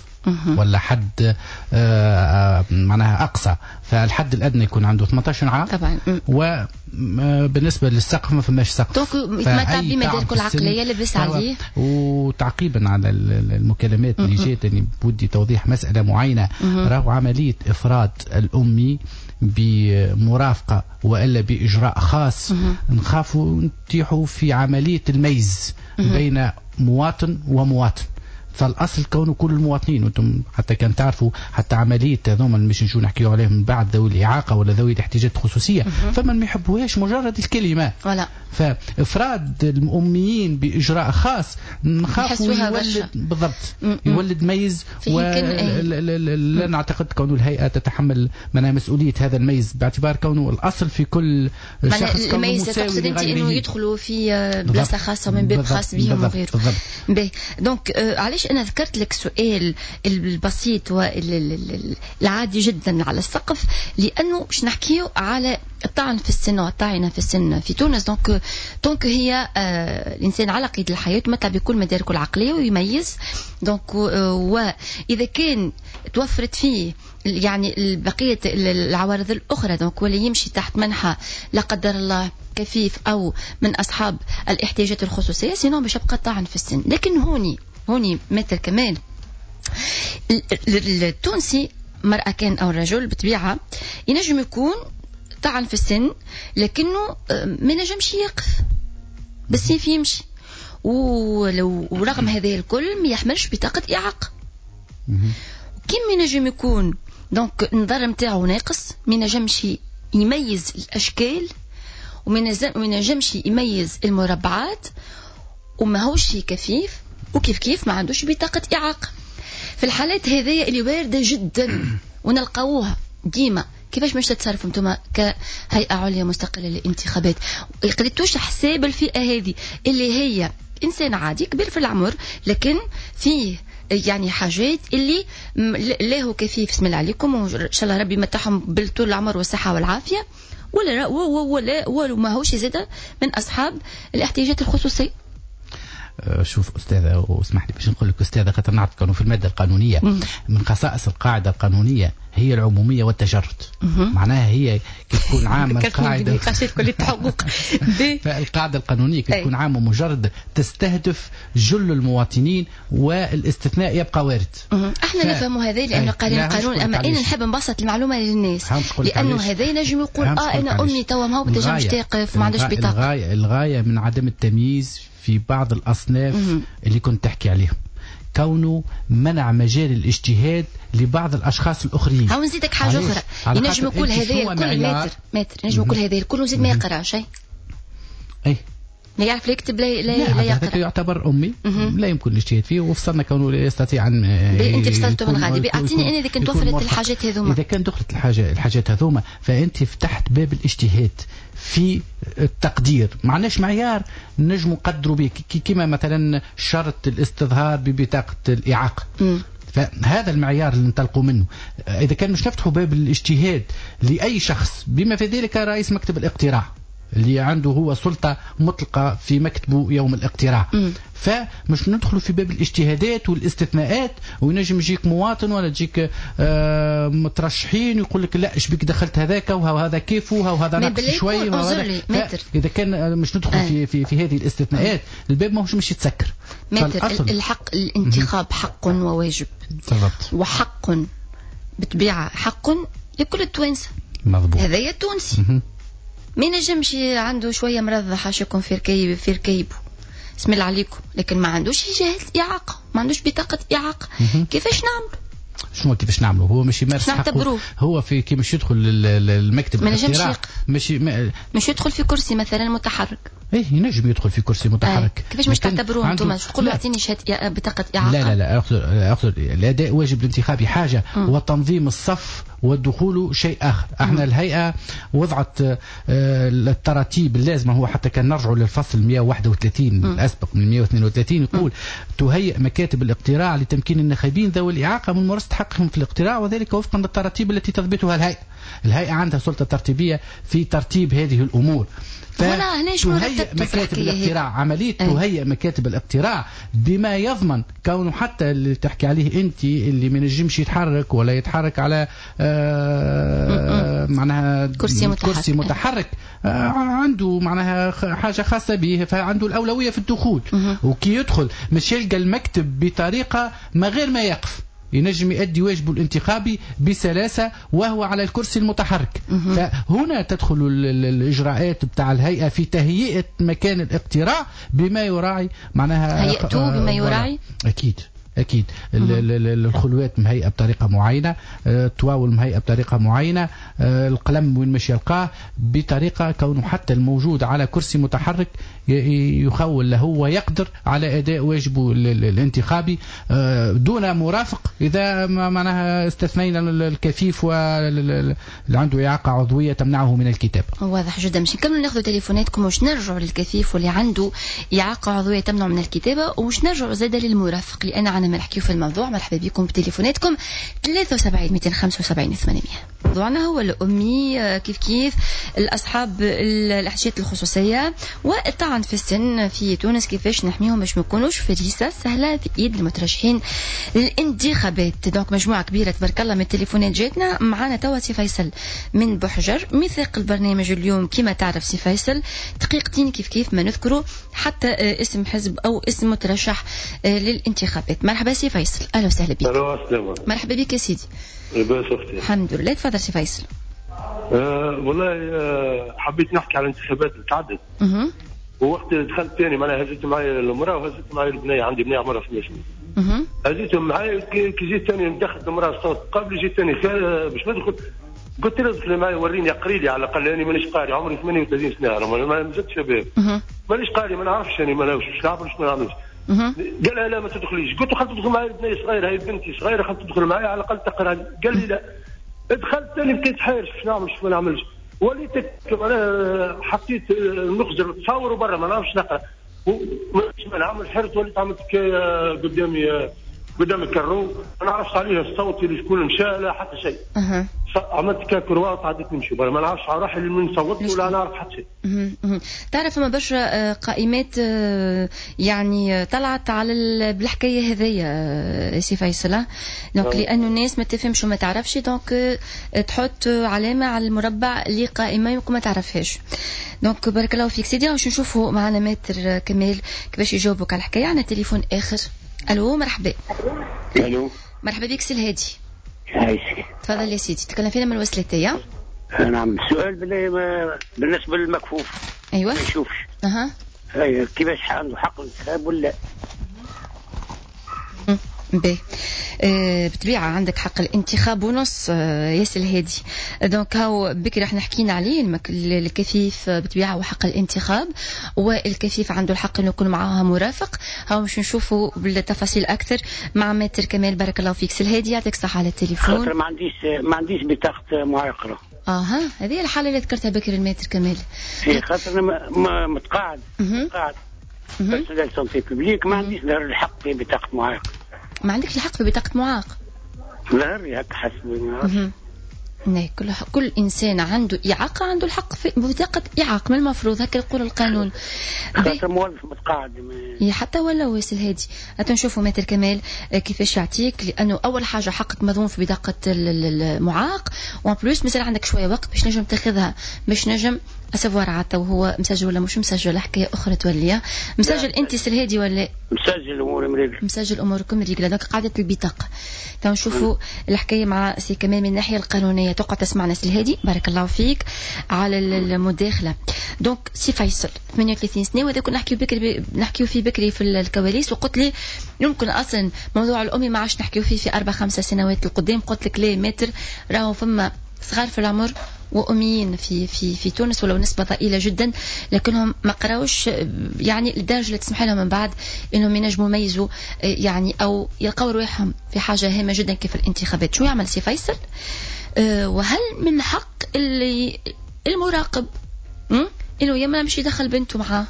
ولا حد آه معناها اقصى، فالحد الادنى يكون عنده ثمانية عشر عام طبعا، وبالنسبة للسقف ما فماش سقف. donc يتمتع بمداركه العقلية لاباس عليه. وتعقيبا على المكالمات اللي جات، يعني بودي توضيح مسالة معينة، راهو عملية افراد الامي بمرافقه والا باجراء خاص نخافوا نتيحوا في عملية الميز بين مواطن ومواطن. فالاصل كونه كل المواطنين، وانتم حتى كان تعرفوا حتى عملية هذوما اللي مش نجوا نحكيو عليهم من بعد ذوي الاعاقة ولا ذوي الاحتياجات الخصوصية، فمن ما يحبوهاش مجرد الكلمة. ولا فافراد الاميين باجراء خاص نخافوا يولد بالضبط يولد ميز، ولا نعتقد كون الهيئة تتحمل منها مسؤولية هذا الميز باعتبار كونه الاصل في كل شخص كونه مساوي لغيره. انه يدخلوا في بلاصة خاصة من باب خاص بهم وغيره. باهي، donc علاش أنا ذكرت لك سؤال البسيط والعادي جدا على السقف؟ لأنه باش نحكيو على الطعن في السن والطاعنة في السن في تونس. donc donc هي آه الإنسان على قيد الحياة يتمتع بكل مداركه العقلية ويميز. donc آه وإذا كان توفرت فيه يعني بقية العوارض الأخرى، donc ولا يمشي تحت منحى لا قدر الله كفيف أو من أصحاب الاحتياجات الخصوصية، sinon باش يبقى طعن في السن. لكن هوني هوني مثل كمان التونسي مرأة كان أو رجل بطبيعة ينجم يكون طعن في السن لكنه ما ينجمش يقف بالسيف يمشي، ولو ورغم هذا الكل ما يحملش بطاقة إعاقة. كيما ينجم يكون donc النظر نتاعو ناقص، ما ينجمش يميز الأشكال وما ينجمش يميز المربعات وماهوش كفيف، وكيف كيف ما عندوش بطاقة إعاقة. في الحالات هذه اللي واردة جدا ونلقاوها ديما، كيفاش مش تتصرفوا انتم كهيئة عليا مستقلة للانتخابات؟ قريتوش حساب الفئة هذه اللي هي إنسان عادي كبير في العمر لكن فيه يعني حاجات اللي لا هو كفيف، بسم الله عليكم وإن شاء الله ربي يمتعهم بالطول العمر والصحة والعافية، ولا ولا ولا ما هوش زاد من أصحاب الاحتياجات الخصوصية. شوف أستاذة، واسمح لي باش نقول لك أستاذة خاطر نعرف كانوا في المادة القانونية مم. من خصائص القاعدة القانونية هي العمومية والتجرد. معناها هي كي تكون عامة القاعدة فالقاعدة القانونية كي تكون عامة مجرد تستهدف جل المواطنين والاستثناء يبقى وارد. احنا ف... نفهم هذا لانه قارين القانون، اما انا نحب نبسط المعلومة للناس لانه هذا ينجم يقول اه انا امي توا ما هو تنجمش تقف ما عندوش بطاقة. الغاية الغاية من عدم التمييز في بعض الاصناف مم. اللي كنت تحكي عليهم، كونه منع مجال الاجتهاد لبعض الاشخاص الاخرين. هاو نزيدك حاجة اخرى، ينجم يقول هذا الكل متر متر ينجم يقول هذا الكل وزيد ما يقراش. اي لا يعرف لا يكتب لا لا, لا, لا يقرأ، يعتبر أمي لا يمكن الاجتهاد فيه، وفصلنا كونه لا يستطيع أن أنت فصلته من غادي. أعطيني أنا إذا كنت وفرت الحاجات هذوما، إذا كان دخلت الحاجة الحاجات هذوما فأنت فتحت باب الاجتهاد في التقدير. ما عندناش معيار نجم نقدروا به، كما مثلا شرط الاستظهار ببطاقة الإعاقة. مم. فهذا المعيار اللي ننطلقوا منه. إذا كان مش نفتحوا باب الاجتهاد لأي شخص بما في ذلك رئيس مكتب الاقتراع اللي عنده هو سلطة مطلقة في مكتبه يوم الاقتراع، م. فمش ندخلوا في باب الاجتهادات والاستثناءات، وينجم يجيك مواطن ولا تجيك آه مترشحين يقول لك لا ايش بك دخلت هذاك وهذا كيف وهذا ناقص شوي وهذا. اذا كان مش ندخل آه. في في في هذه الاستثناءات الباب ماهوش مش يتسكر. متر الحق الانتخاب حق وواجب. بالضبط. وحق بطبيعة حق لكل التوانسة. مضبوط. هذايا التونسي ما ينجمش عنده شوية مرض حاشاكم في ركيب في ركيبه بسم الله عليكم، لكن ما عندوش جهاز اعاقه، ما عندوش بطاقة اعاقه. كيفاش نعملوا؟ شنو كيفاش نعملوا؟ هو مش يمارس حقه، هو في كي مش يدخل المكتب ما نجمش مش ما... مش يدخل في كرسي مثلا متحرك. ايه ينجم يدخل في كرسي متحرك. آه. كيفاش مش تعتبروه انتم؟ تقولوا اعطيني شهادة بطاقة اعاقه؟ لا لا لا، اخذ اخذ الاداء واجب الانتخابي حاجة م. وتنظيم الصف والدخول شيء اخر. احنا م. الهيئة وضعت التراتيب اللازمة. هو حتى كان نرجعوا للفصل مئة وواحد وثلاثين الاسبق من مئة واثنين وثلاثين يقول تهيئ مكاتب الاقتراع لتمكين الناخبين ذوي الاعاقة من ممارسة حقهم في الاقتراع، وذلك وفقا للتراتيب التي تضبطها الهيئة. الهيئة عندها سلطة ترتيبيه في ترتيب هذه الامور. تهيئ مكاتب الاقتراع، عملية تهيئ مكاتب الاقتراع بما يضمن كونه حتى اللي تحكي عليه أنت اللي ما ينجمش يتحرك ولا يتحرك على آه معناها كرسي متحرك, كرسي متحرك آه عنده معناها حاجة خاصة به، فعنده الأولوية في الدخول. وكي يدخل مش يلقى المكتب بطريقة ما غير ما يقف، ينجم يؤدي واجبه الانتخابي بسلاسة وهو على الكرسي المتحرك. فهنا تدخل الإجراءات بتاع الهيئة في تهيئة مكان الاقتراع بما يراعي معناها هيئته بما يراعي. أكيد أكيد الخلوات مهيئة بطريقة معينة، الطواول مهيئة بطريقة معينة، القلم وين مش يلقاه بطريقة كونه حتى الموجود على كرسي متحرك يخول له ويقدر على أداء واجبه الانتخابي دون مرافق، إذا معناها استثنينا الكفيف واللي عنده إعاقة عضوية تمنعه من الكتابة. واضح جدا. مش نكملوا ناخذ تليفوناتكم وش نرجعوا للكفيف واللي عنده إعاقة عضوية تمنعه من الكتابة، وش نرجعوا زادة للمرافق لأن عنا ما نحكيو في الموضوع. مرحبا بكم بتليفوناتكم ثلاثة وسبعين مئتين وخمسة وسبعين ثمانمئة. موضوعنا هو الأمي، كيف كيف الأصحاب الأحتياجات الخصوصية والطعن في السن في تونس، كيفاش نحميهم باش ما يكونوش فريسة سهلة في إيد المترشحين للانتخابات. donc مجموعة كبيرة تبارك الله من التليفونات جاتنا. معنا توا سي فيصل من بحجر، ميثاق البرنامج اليوم كما تعرف سي فيصل دقيقتين كيف كيف ما نذكروا حتى اسم حزب أو اسم مترشح للانتخابات. مرحبا سي فيصل، اهلا وسهلا بك. الو مرحبا بك يا سيدي. لاباس اختي؟ الحمد لله. تفضل سي فيصل. أه والله أه حبيت نحكي على الانتخابات اللي تعدت. اها. ووقت دخلت ثاني معناها هزيت معايا المراة وهزيت معايا البنية، عندي بنيه عمرها ثمانية سنين. اها. هزيتهم معايا كي جيت ثاني دخلت المراة الصوت قبل جيت ثاني باش ندخل قلت لها ادخلي معايا وريني اقري لي على الاقل، لاني مانيش قاري، عمري ثمانية وثلاثين سنة ما مازلت شباب. مانيش قاري ما نعرفش انا ما نعرفش نعرف ما نعملش. قال لها لا ما تدخليش. قلت له خلت تدخل معايا بنيه صغيرة، هي بنتي صغيرة خلت تدخل معايا على الاقل تقرا. قال لي لا. دخلت ثاني بقيت حاير باش نعمل باش ما نعملش، وليت انا حطيت نخزر تصور برا ما نعرفش نقرا ما نعمل، حرت وليت عملت حكاية قدامي قدام ال carreau، ما نعرفش عليه الصوت اللي شكون مشى لا حتى شيء. أه. عملت كا croix وتعديت نمشي، ما نعرفش على روحي من صوت ولا نعرف حتى شيء. تعرف فما برشا قائمات يعني طلعت على بالحكاية هذيا سي فيصل، donc لانه الناس ما تفهمش وما تعرفش، donc تحط علامة على المربع لقائمة يمكن ما تعرفهاش. donc بارك الله فيك سيدي. باش نشوفوا معنا maître كمال كيفاش يجاوبك على الحكاية. عندنا تليفون اخر. الو مرحبا. الو مرحبا بك سي الهادي. عايشك. تفضل يا سيدي، تكلم فينا من الوسلاتية. نعم، السؤال بالله بالنسبة للمكفوف. ايوه ما يشوفش. اها ايوه، كيفاش عنده حق الانتخاب ولا؟ باهي، أه بالطبيعة عندك حق الانتخاب ونص. أه يا سي الهادي، donc هاو بكري احنا حكينا عليه الكفيف بالطبيعة وحق الانتخاب، والكفيف عنده الحق انه يكون معاه مرافق. هاو باش نشوفوا بالتفاصيل اكثر مع maître كمال. بارك الله فيك سي الهادي، يعطيك الصحة على التليفون. خاطر ما عنديش ما عنديش بطاقة معاقره. اها، هذه الحالة اللي ذكرتها بكري ال maître كمال. اي خاطر انا متقاعد متقاعد personnel santé publique، ما عنديش الحق في بطاقة معاق. ما عندكش الحق في بطاقة معاق؟ لا، هكا حسب. لا، كل كل إنسان عنده إعاقة عنده الحق في بطاقة إعاقة، من المفروض هكا يقول القانون. خاطر موظف متقاعد. يا حتى ولا واسل هادي. هاتوا نشوفوا maître كمال كيفاش يعطيك، لأنه أول حاجة حقك مضمون في بطاقة المعاق، و en plus مازال عندك شوية وقت باش نجم تاخذها، باش نجم à savoir عاد هو مسجل ولا مش مسجل، حكاية اخرى تولي. مسجل انت سي الهادي ولا؟ مسجل اموري مريقله. مسجل اموركم مريقله، donc قاعدة البطاقة. تو نشوفوا الحكاية مع سي كمال من الناحية القانونية. تقعد تسمعنا سي الهادي، بارك الله فيك على المداخلة. donc سي فيصل ثمانية وثلاثين سنة، وهذا كنا نحكيو بكري نحكيو فيه بكري في الكواليس، وقلت لي يمكن اصلا موضوع الامي ما عادش نحكيو فيه في اربع خمسة سنوات القدام. قلت لك ليه maître، راهو فما صغار في العمر وأميين في في في تونس ولو نسبة ضئيلة جدا، لكنهم ما قراوش يعني للدرجة اللي تسمح لهم من بعد انهم ينجموا يميزوا يعني او يلقاو رواحهم في حاجة هامة جدا كيف الانتخابات. شو يعمل سي فيصل؟ وهل من حق اللي المراقب انه يما مش يدخل بنته معاه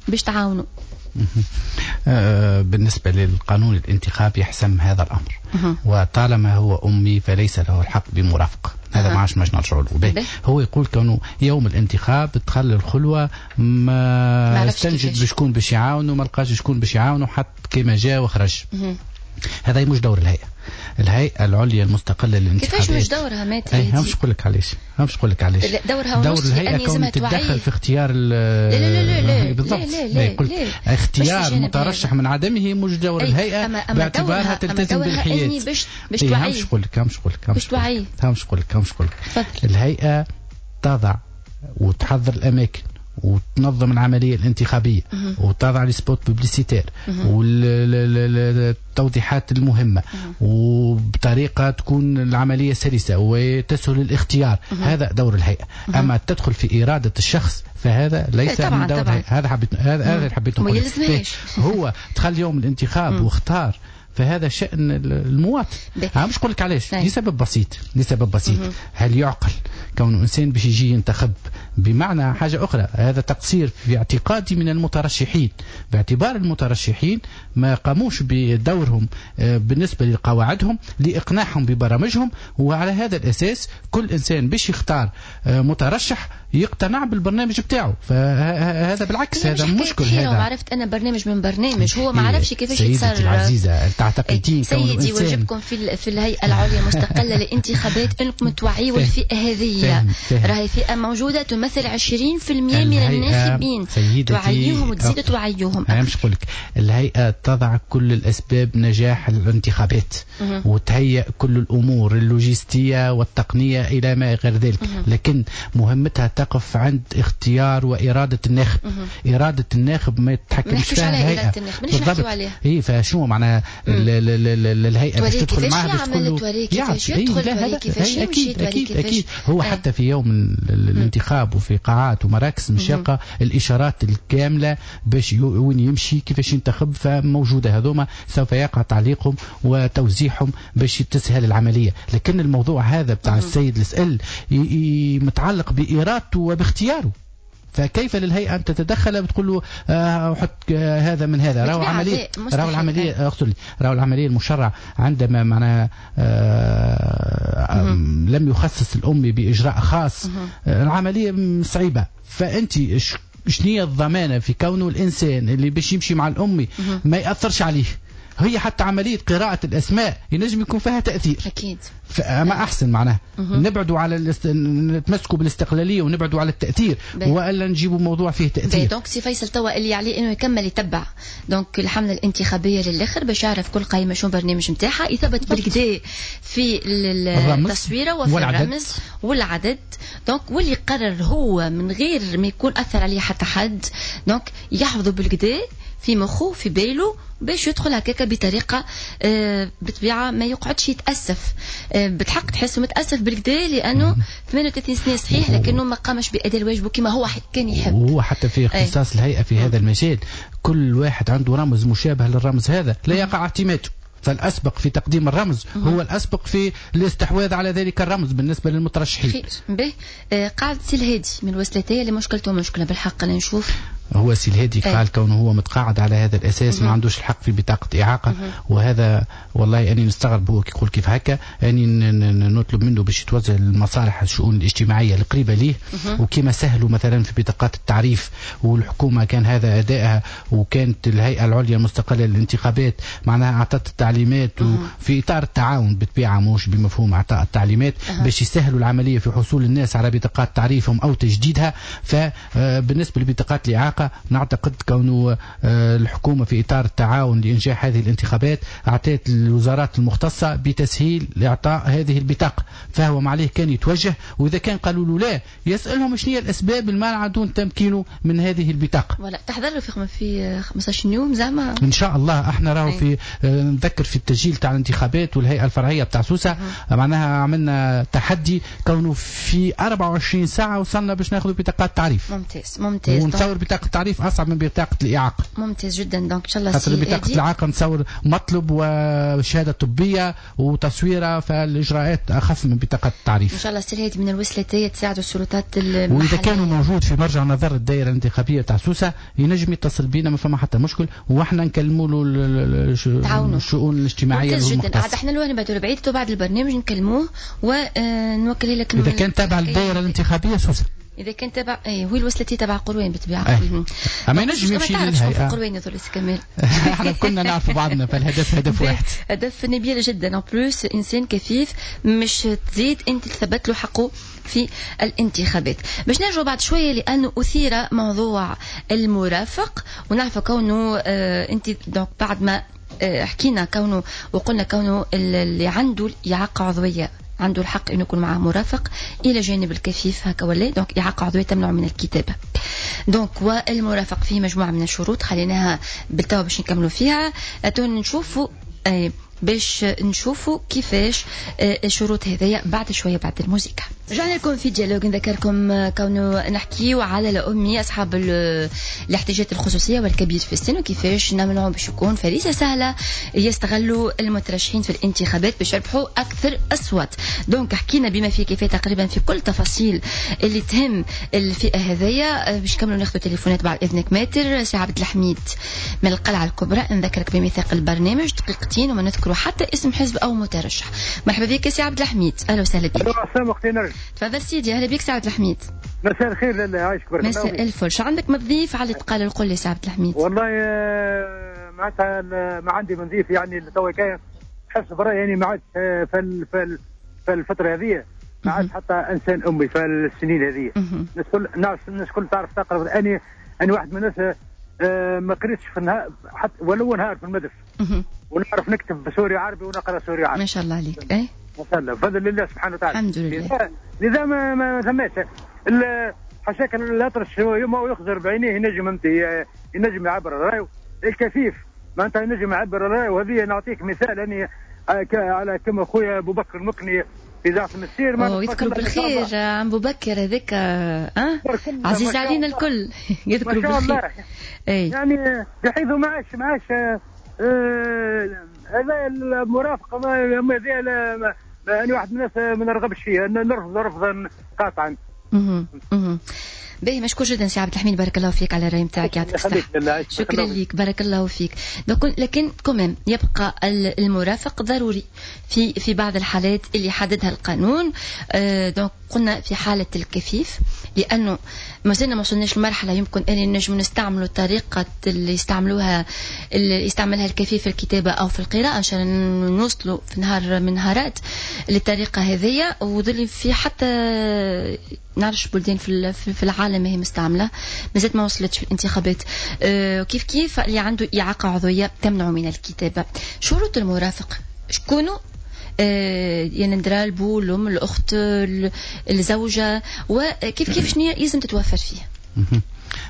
باش تعاونوا؟ بالنسبة للقانون الانتخابي يحسم هذا الأمر، وطالما هو أمي فليس له الحق بمرافقة. هذا ما عادش ماش نرجعوا له. هو يقول كونه يوم الانتخاب دخل الخلوة ما استنجد بشكون باش يعاونه، ما لقاش شكون باش يعاونه، حط كما جاء وخرج. هذا مش دور الهيئة، الهيئة العليا المستقلة للانتخابات. كيفاش مش دورها maître؟ اي مش نقول لك علاش، مش نقول لك علاش دورها. دور الهيئة كون تتدخل في اختيار. لا لا لا لا بالضبط، لا لا لا لا. اختيار مترشح من عدمه مش دور الهيئة، أما أما باعتبارها تلتزم بالحياد. باش باش توعي. مش نقول لك مش نقول لك باش توعي. مش نقول لك مش نقول لك الهيئة تضع وتحضر الأماكن وتنظم العملية الانتخابية وتضع les spots publicitaires والتوضيحات المهمة وبطريقة تكون العملية سلسة وتسهل الاختيار. هذا دور الهيئة. أما تدخل في إرادة الشخص فهذا ليس طبعاً من دور طبعاً. الهيئة. هذا حبيت هذا هذا حبيت نقول. هو دخل يوم الانتخاب واختار، فهذا شأن المواطن. مش نقول لك علاش، لسبب بسيط، لسبب بسيط. هل يعقل كون إنسان باش يجي ينتخب بمعنى حاجة أخرى؟ هذا تقصير في اعتقادي من المترشحين، باعتبار المترشحين ما قاموش بدورهم بالنسبة لقواعدهم لإقناعهم ببرامجهم، وعلى هذا الأساس كل إنسان باش يختار مترشح يقتنع بالبرنامج بتاعه. فهذا بالعكس هذا مشكل. هذا عرفت أنا برنامج من برنامج هو ما عرفش كيفاش يتصرف. سيدتي العزيزة تعتقدين سيدي واجبكم في في الهيئة العليا المستقلة للانتخابات انكم توعيوا الفئة هذه، راهي فئة موجودة تمثل عشرين بالمئة من الناخبين، توعيوهم وتزيدوا توعيوهم. أنا مش نقول لك الهيئة تضع كل الأسباب نجاح الانتخابات وتهيئ كل الأمور اللوجستية والتقنية إلى ما غير ذلك، لكن مهمتها تقف عند اختيار وإرادة الناخب. إرادة الناخب ما يتحكمش فيها الهيئة. بالضبط. إيه فشو معناها الهيئة باش تدخل معها باش تقول له كيفاش يدخل، كيفاش يمشي، أكيد أكيد. هو حتى في يوم الانتخاب وفي قاعات ومراكز مش يلقى الإشارات الكاملة باش وين يمشي كيفاش ينتخب، فموجودة هذوما سوف يقع تعليقهم وتوزيعهم باش تسهل العملية. لكن الموضوع هذا بتاع السيد اللي سأل متعلق بإرادته وباختياره. فكيف للهيئة أن تتدخل بتقول له آه حط آه هذا من هذا؟ راهو عملية، راهو العملية، أقصد راهو العملية المشرع عندما معناها آه لم يخصص الأمي بإجراء خاص، آه العملية صعيبة. فأنت شنية الضمانة في كونه الإنسان اللي باش يمشي مع الأمي ما يأثرش عليه؟ هي حتى عملية قراءة الأسماء ينجم يكون فيها تأثير. أكيد. فما أحسن معناها نبعدوا على الاست... نتمسكوا بالاستقلالية ونبعدوا على التأثير، وإلا نجيبوا موضوع فيه تأثير. donc سي فيصل توا اللي عليه إنه يكمل يتبع donc الحملة الانتخابية للآخر باش يعرف كل قائمة شو البرنامج نتاعها، يثبت بالكدا في التصويرة وفي والعدد. الرمز والعدد، donc واللي قرر هو من غير ما يكون أثر عليه حتى حد، donc يحفظه بالكدا في مخه في باله باش يدخل هكاك بطريقة آه بطبيعة ما يقعدش يتاسف. آه بتحق تحسه متاسف بالكدا لانه ثمانية وثلاثين سنة صحيح، لكنه ما قامش باداء الواجب كما هو كان يحب. وهو حتى في اختصاص الهيئة في هذا المجال كل واحد عنده رمز مشابه للرمز هذا لا يقع اعتماده، فالأسبق في تقديم الرمز هو الأسبق في الاستحواذ على ذلك الرمز بالنسبة للمترشحين. خير به. آه قاعد سي الهادي من الوسلاتية اللي مشكلته مشكلة بالحق اللي نشوف. هو سي الهادي قال كونه هو متقاعد على هذا الأساس ما عندوش الحق في بطاقة إعاقة، وهذا والله أني نستغرب هو كي يقول كيف هكا. أني نطلب منه باش يتوجه للمصالح الشؤون الاجتماعية القريبة ليه، وكما سهلوا مثلا في بطاقات التعريف والحكومة كان هذا أدائها، وكانت الهيئة العليا المستقلة للانتخابات معناها أعطت التعليمات في إطار التعاون بالطبيعة مش بمفهوم إعطاء التعليمات باش يسهلوا العملية في حصول الناس على بطاقات تعريفهم أو تجديدها. فبالنسبة لبطاقات الإعاقة نعتقد كونه الحكومة في إطار التعاون لإنجاح هذه الانتخابات أعطت الوزارات المختصة بتسهيل لإعطاء هذه البطاقة، فهو ما عليه كان يتوجه، وإذا كان قالوا له لا يسألهم شنو هي الأسباب المانعة دون تمكينه من هذه البطاقة. ولا تحضر له في في خمسة عشر يوم زعما إن شاء الله. احنا راهو في نذكر في التسجيل تاع الانتخابات والهيئة الفرعية بتاع سوسة معناها عملنا تحدي كونه في أربعة وعشرين ساعة وصلنا باش ناخذ بطاقات تعريف. ممتاز ممتاز. ونتصور بطاقة التعريف أصعب من بطاقة الإعاقة. ممتاز جدا. donc إن شاء الله خاطر بطاقة الإعاقة نتصور مطلب وشهادة طبية وتصويرة، فالإجراءات أخف من بطاقة التعريف. إن شاء الله سي الهادي من الوسلاتية تساعدوا السلطات المحلية. وإذا كانوا موجود في مرجع نظر الدائرة الانتخابية تاع سوسة ينجم يتصل بينا، ما فما حتى مشكل، وإحنا نكلموا له الشؤون الاجتماعية. ممتاز جدا. عاد احنا لو نبعدوا بعيد بعد البرنامج نكلموه ونوكل لك إذا كان تابع الدائرة الانتخابية سوسة. إذا كان تبع إيه هو الوسلتي تبع قروين بالطبيعة. أما ينجم يمشي للهيئة. قروين يظل كمال. احنا كنا نعرف بعضنا، فالهدف هدف واحد. هدف نبيل جدا. en plus إنسان كفيف مش تزيد أنت تثبت له حقه في الانتخابات. باش نرجع بعد شوية لأنه أثير موضوع المرافق، ونعرف كونه آه أنت donc بعد ما آه حكينا كونه وقلنا كونه اللي عنده إعاقة عضوية عنده الحق انه يكون معه مرافق الى جانب الكفيف هكا ولا، donc اعاقه عضوية تمنع من الكتابة. donc والمرافق فيه مجموعة من الشروط خليناها بالتوا باش نكملوا فيها. نشوفوا باش نشوفوا كيفاش الشروط هذيا بعد شوية بعد الموسيقى. رجعنا لكم في dialogue، نذكركم كونه نحكيو على الأمي أصحاب الاحتياجات الخصوصية والكبير في السن، وكيفاش نمنعهم باش يكون فريسة سهلة يستغلوا المترشحين في الانتخابات باش يربحوا أكثر أصوات. donc حكينا بما فيه كفاية تقريبا في كل تفاصيل اللي تهم الفئة هذيا. باش نكملوا ناخذوا تليفونات بعد إذنك ماتر. سي عبد الحميد من القلعة الكبرى، نذكرك بميثاق البرنامج دقيقتين وما نذكروا حتى اسم حزب أو مترشح. مرحبا بك سي عبد الحميد، أهلا وسهلا بك. تفضل سيدي، اهلا بك سي عبد الحميد. مساء الخير لاله، عايشك بارك الله. مساء الفل. شو عندك ما تضيف على اللي تقال القل يا سي عبد الحميد؟ والله معناتها ما عندي ما نضيف، يعني توا كاين حسب رايي يعني ما عادش في في الفترة هذه ما عادش حتى انسان امي في السنين هذه. الناس الكل الناس الكل تعرف تقرا. اني انا واحد من الناس ما قريتش في النهار حتى ولو نهار في المدرسة، ونعرف نكتب بسوري عربي ونقرا سوري عربي. ما شاء الله عليك. اي ما شاء الله بفضل الله سبحانه وتعالى. الحمد لله. لذا ما ما ثماش حاشاك الاطرش هو يخزر بعينيه ينجم انت ينجم يعبر رايه. الكفيف معناتها ينجم يعبر رايه. وهذه نعطيك مثال اني على كما خويا ابو بكر المقني في اذاعة المسير. يذكر بالخير عم ابو بكر هذاك اه عزيز علينا الكل. يذكر بالخير. اي يعني بحيث ما عادش ما عادش هذا المرافقة ما هذه انا واحد من الناس ما نرغبش فيها، نرفض رفضا قاطعا. باهي، مشكور جدا سي عبد الحميد، بارك الله فيك على الراي نتاعك، يعطيك الصحة. شكرا لك، بارك الله فيك. لكن quand même يبقى المرافق ضروري في في بعض الحالات اللي حددها القانون. donc قلنا في حالة الكفيف، لأنه ما زلنا ما وصلناش لمرحلة يمكن أن نجم نستعملوا الطريقة اللي يستعملوها اللي يستعملها الكفيف في الكتابة أو في القراءة، عشان نوصلوا في نهار من نهارات للطريقة هذية. وظل في حتى نعرفش بلدان في في العالم هي مستعملة، مازالت ما وصلتش في الانتخابات. أه كيف كيف اللي عنده إعاقة عضوية تمنعه من الكتابة. شروط المرافق شكونوا؟ أه يعني ندرا البو، الأم، الأخت، الزوجة، وكيف كيف شنو لازم تتوفر فيه؟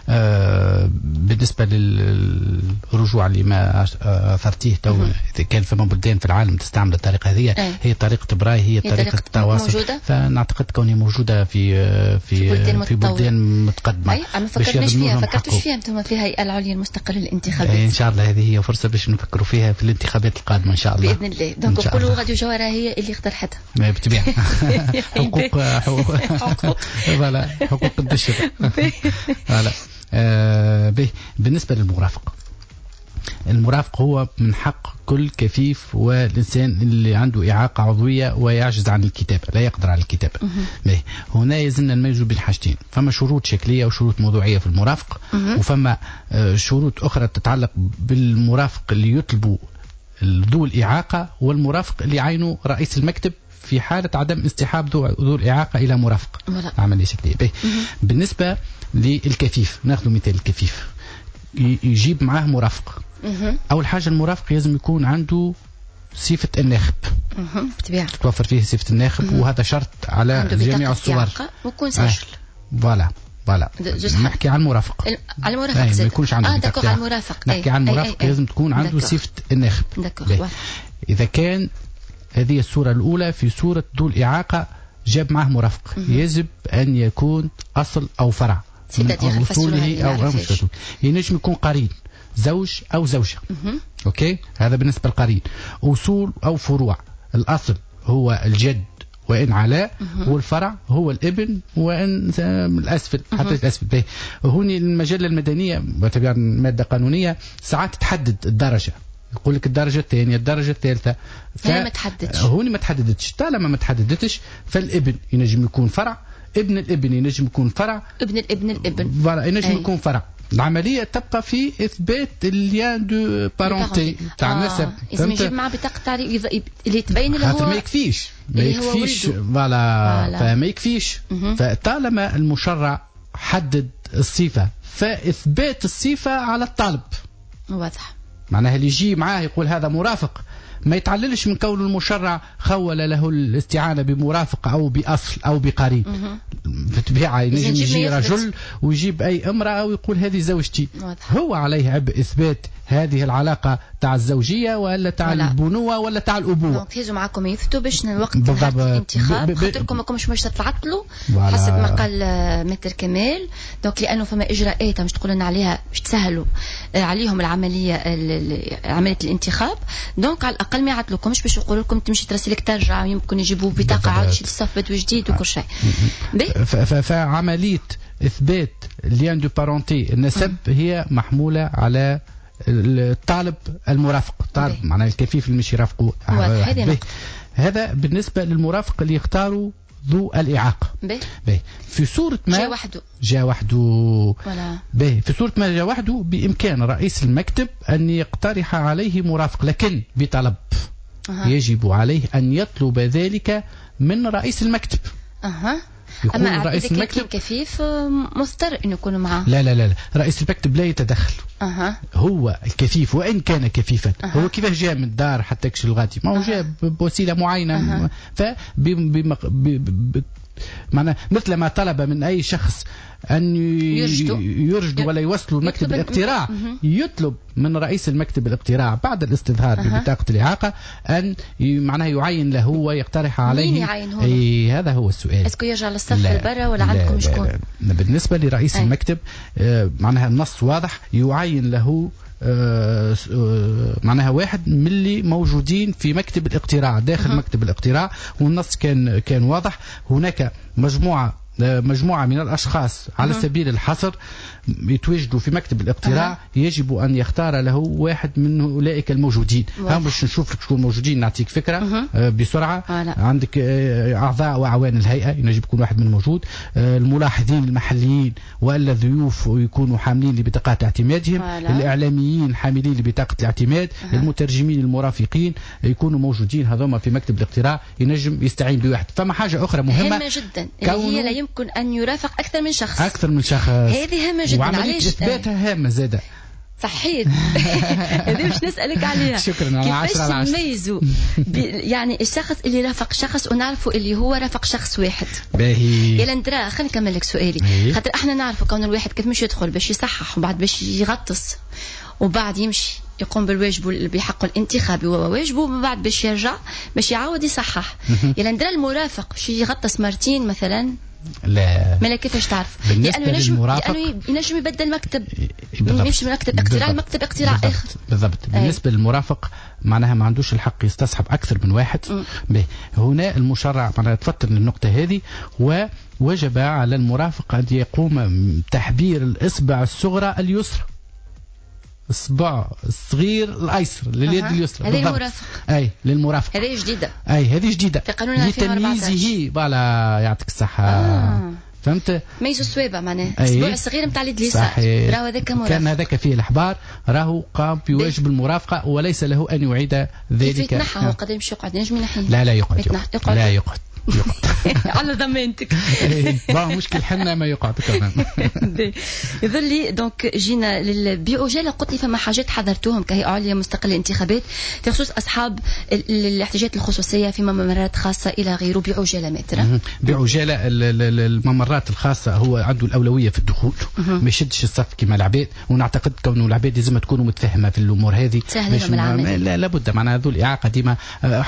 آه بالنسبة للرجوع لما أثرتيه تو، إذا كان فما بلدان في العالم تستعمل الطريقة هذه، هي طريقة براي، هي طريقة التواصل، فنعتقد كونها موجودة في في في, في بلدان متقدمة. أي ما فكرناش فيها، فكرتوش فيها أنتم في الهيئة العليا المستقلة للانتخابات؟ إن شاء الله هذه هي فرصة باش نفكروا فيها في الانتخابات القادمة إن شاء الله بإذن الله. donc نقولوا راديو جوهرة هي اللي اقترحتها بالطبيعة. حقوق حقوق voilà حقوق البشر. voilà. آه به بالنسبة للمرافق، المرافق هو من حق كل كفيف والإنسان اللي عنده إعاقة عضوية ويعجز عن الكتابة، لا يقدر على الكتابة. به هنا يلزمنا نميزوا بين حاجتين، فما شروط شكلية وشروط موضوعية في المرافق، وفما شروط أخرى تتعلق بالمرافق اللي يطلبوا ذو الإعاقة والمرافق اللي عينه رئيس المكتب في حالة عدم استحاب ذو, ذو الإعاقة إلى مرافق. عملية شكلية. به بالنسبة للكفيف، ناخذ مثال الكفيف يجيب معاه مرافق. أول حاجة المرافق لازم يكون عنده صفة الناخب، بالطبيعة تتوفر فيه صفة الناخب، وهذا شرط على جميع الصور، ويكون سجل. voilà voilà نحكي عن المرافق، على المرافق ما يكونش عنده اه d'accord، على المرافق نحكي عن المرافق لازم تكون عنده صفة الناخب. إذا كان هذه الصورة الأولى في صورة ذو الإعاقة جاب معه مرافق، يجب أن يكون أصل أو فرع من أصوله أو مش ينجم يكون قرين، زوج أو زوجة. OK، هذا بالنسبة للقرين. أصول أو فروع، الأصل هو الجد وإن علاء، والفرع هو الابن وإن الأسفل حتى الأسفل. هوني المجلة المدنية باعتبار مادة قانونية ساعات تحدد الدرجة، يقول لك الدرجة الثانية، الدرجة الثالثة. ف... ما تحددش هوني، ما تحددتش. طالما ما تحددتش فالابن ينجم يكون فرع، ابن الابن ينجم يكون فرع، ابن الابن الابن voilà ينجم يكون فرع. العملية تبقى في إثبات ال lien de parenté تاع النسب. لازم يجيب معاه بطاقة تعريف اللي تبين اللي هو ما يكفيش، ما يكفيش voilà، فما يكفيش. فطالما المشرع حدد الصفة فإثبات الصفة على الطالب واضح. معناها اللي يجي معاه يقول هذا مرافق ما يتعللش من كون المشرع خول له الاستعانة بمرافق أو بأصل أو بقرين. بالطبيعة ينجم يجي رجل ويجيب أي امرأة ويقول هذه زوجتي، هو عليه عبء إثبات هذه العلاقة تاع الزوجية ولا تاع البنوة ولا تاع الأبوة. donc هزوا معاكم يفتوا باش الوقت الانتخاب خاطركم ماكمش باش تتعطلوا حسب ما قال maître كمال. donc لأنه فما إجراءات مش تقول لنا عليها باش تسهلوا عليهم العملية عملية الانتخاب. donc على الأقل ما يعطلوكمش باش يقولوا لكم تمشي ترسلك ترجع، يمكن يجيبوا بطاقة عاد تشد الصف جديد وكل شيء. فعملية إثبات lien de parenté النسب هي محمولة على الطالب المرافق، الطالب معناه الكفيف اللي مش يرافقه. هذا بالنسبة للمرافق اللي يختاروا ذو الإعاقة. به. في صورة ما جاء وحده، جاء وحده به. في صورة ما جاء وحده بإمكان رئيس المكتب أن يقترح عليه مرافق، لكن بطلب. أه. يجب عليه أن يطلب ذلك من رئيس المكتب. أه. أما رئيس المكتب كفيف مضطر أن يكون معه. لا لا لا، رئيس المكتب لا يتدخل. أه. هو الكفيف وإن كان كفيفا. أه. هو كيف جاء من الدار حتى كش الغادي، ما هو جاء بوسيلة معينة. أه. ف معنى مثل ما طلب من أي شخص أن يرشدوا ولا يوصلوا المكتب الاقتراع، يطلب من رئيس المكتب الاقتراع بعد الاستظهار أه. ببطاقة الإعاقة أن معناها يعين له ويقترح عليه. مين يعين هو؟ أي هذا هو السؤال. est-ce que يرجع للصف البرا ولا عندكم شكون؟ بالنسبة لرئيس أي. المكتب معناها النص واضح، يعين له آه معناها واحد من اللي موجودين في مكتب الاقتراع داخل أه. مكتب الاقتراع، والنص كان كان واضح. هناك مجموعة مجموعة من الأشخاص على سبيل الحصر يتواجدوا في مكتب الاقتراع أه. يجب أن يختار له واحد من أولئك الموجودين. هم باش نشوف لك شكون موجودين نعطيك فكرة أه. بسرعة. أه. عندك أعضاء وأعوان الهيئة ينجم يكون واحد من موجود، الملاحظين المحليين ولا ضيوف يكونوا حاملين لبطاقات اعتمادهم، أه. الإعلاميين حاملين لبطاقة الاعتماد، أه. المترجمين المرافقين يكونوا موجودين هذوما في مكتب الاقتراع، ينجم يستعين بواحد. فما حاجة أخرى مهمة هامة جدا اللي هي لا يمكن أن يرافق أكثر من شخص. أكثر من شخص هذه هامة جدا. وعملية إثباتها هامة زادة. صحيت. هذه باش نسألك عليها. شكرا. على عشرة على عشرة. كيفاش نميزوا يعني الشخص اللي رافق شخص ونعرفوا اللي هو رافق شخص واحد؟ باهي. يا لندرا خلينا نكمل لك سؤالي، خاطر احنا نعرفوا كون الواحد كيف مش يدخل باش يصحح وبعد باش يغطس وبعد يمشي يقوم بالواجب بحقه الانتخابي وواجبه ومن بعد باش يرجع باش يعاود يصحح. يا لندرا المرافق باش يغطس مرتين مثلا؟ لا. مالا كيفاش تعرف؟ بالنسبة لأنه ينجم للمرافق لأنه ينجم يبدل مكتب، يمشي من مكتب اقتراع لمكتب اقتراع آخر. بالضبط. بالنسبة للمرافق معناها ما عندوش الحق يستصحب أكثر من واحد. به. هنا المشرع معناها تفطن للنقطة هذه، ووجب على المرافق أن يقوم بتحبير الإصبع الصغرى اليسرى، الصبع الصغير الايسر لليد أه. اليسرى. هذه المرافق. اي للمرافق. هذه جديدة. اي هذه جديدة في قانون ألفين وأربعة عشر لتمييزه. voilà يعطيك الصحة. آه. فهمت؟ ميزوا الصوابع معناها الصبع الصغير نتاع اليد اليسار راهو هذاك مرافق. كان هذاك فيه الاحبار راهو قام بواجب المرافقة وليس له ان يعيد ذلك. كيف يتنحى هو قد يمشي يقعد ينجم ينحيه؟ لا لا يقعد, يقعد. يقعد. لا يقعد على ضمانتك. bon مشكل حنا ما يقعد كمان. يظل لي donc جينا للبيعجاله، قلت لي فما حاجات حضرتوهم كهيئة عليا مستقلة للانتخابات في خصوص اصحاب الاحتياجات الخصوصية في ممرات خاصة الى غيره. بعجاله مثلا بعجاله الممرات الخاصة هو عنده الاولوية في الدخول، ما يشدش الصف كما العباد، ونعتقد كونه العباد لازم تكونوا متفاهمه في الامور هذه. سهلة لا لابد معناها ذو الاعاقة ديما،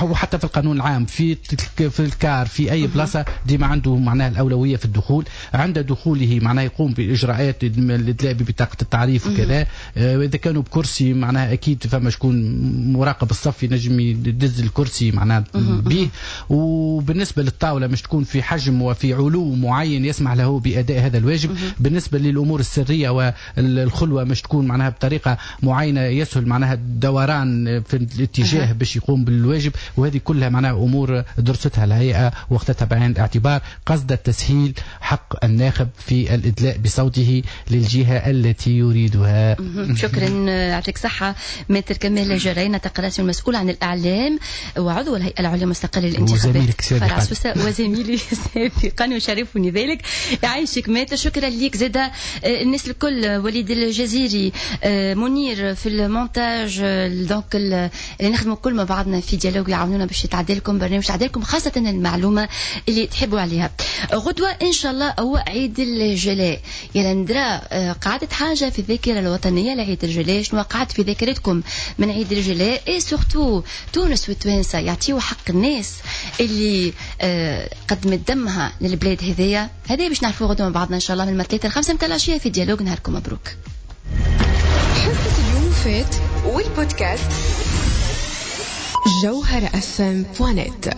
وحتى في القانون العام في في الكار في اي بلاصة ديما عنده معناها الاولوية في الدخول. عند دخوله معناها يقوم باجراءات الادلاء ببطاقه التعريف وكذا. اذا كانوا بكرسي معناها اكيد فما شكون مراقب الصف ينجم يدز الكرسي معناها به. وبالنسبة للطاوله مش تكون في حجم وفي علو معين يسمح له باداء هذا الواجب. بالنسبة للامور السرية والخلوه مش تكون معناها بطريقة معينة يسهل معناها الدوران في الاتجاه باش يقوم بالواجب. وهذه كلها معناها امور درستها الهيئة واخذتها بعين الاعتبار قصد التسهيل حق الناخب في الإدلاء بصوته للجهة التي يريدها. شكرا، يعطيك صحة maître كمال جرينة تقراسي المسؤول عن الإعلام وعضو الهيئة العليا المستقلة للانتخابات فرع سوسة وزميلي سابقا وشرفني ذلك. يعيشك maître، شكرا ليك زادة الناس الكل، وليد الجزيري، منير في المونتاج، donc اللي نخدموا كل مع بعضنا في dialogue يعاونونا باش يتعدى لكم برنامج يتعدى لكم خاصة المعلومة اللي تحبوا عليها. غدوة إن شاء الله هو عيد الجلاء. يا لندرا قعدت حاجة في الذاكرة الوطنية لعيد الجلاء؟ شنو قعدت في ذاكرتكم من عيد الجلاء؟ et surtout تونس والتوانسة يعطيو حق الناس اللي قدمت دمها للبلاد هذيا. هذا باش نعرفوه غدوة مع بعضنا إن شاء الله من الثلاثة الخمسة متاع العشية في dialogue. نهاركم مبروك. حصة اليوم فات والبودكاست جوهرة أف إم دوت نت.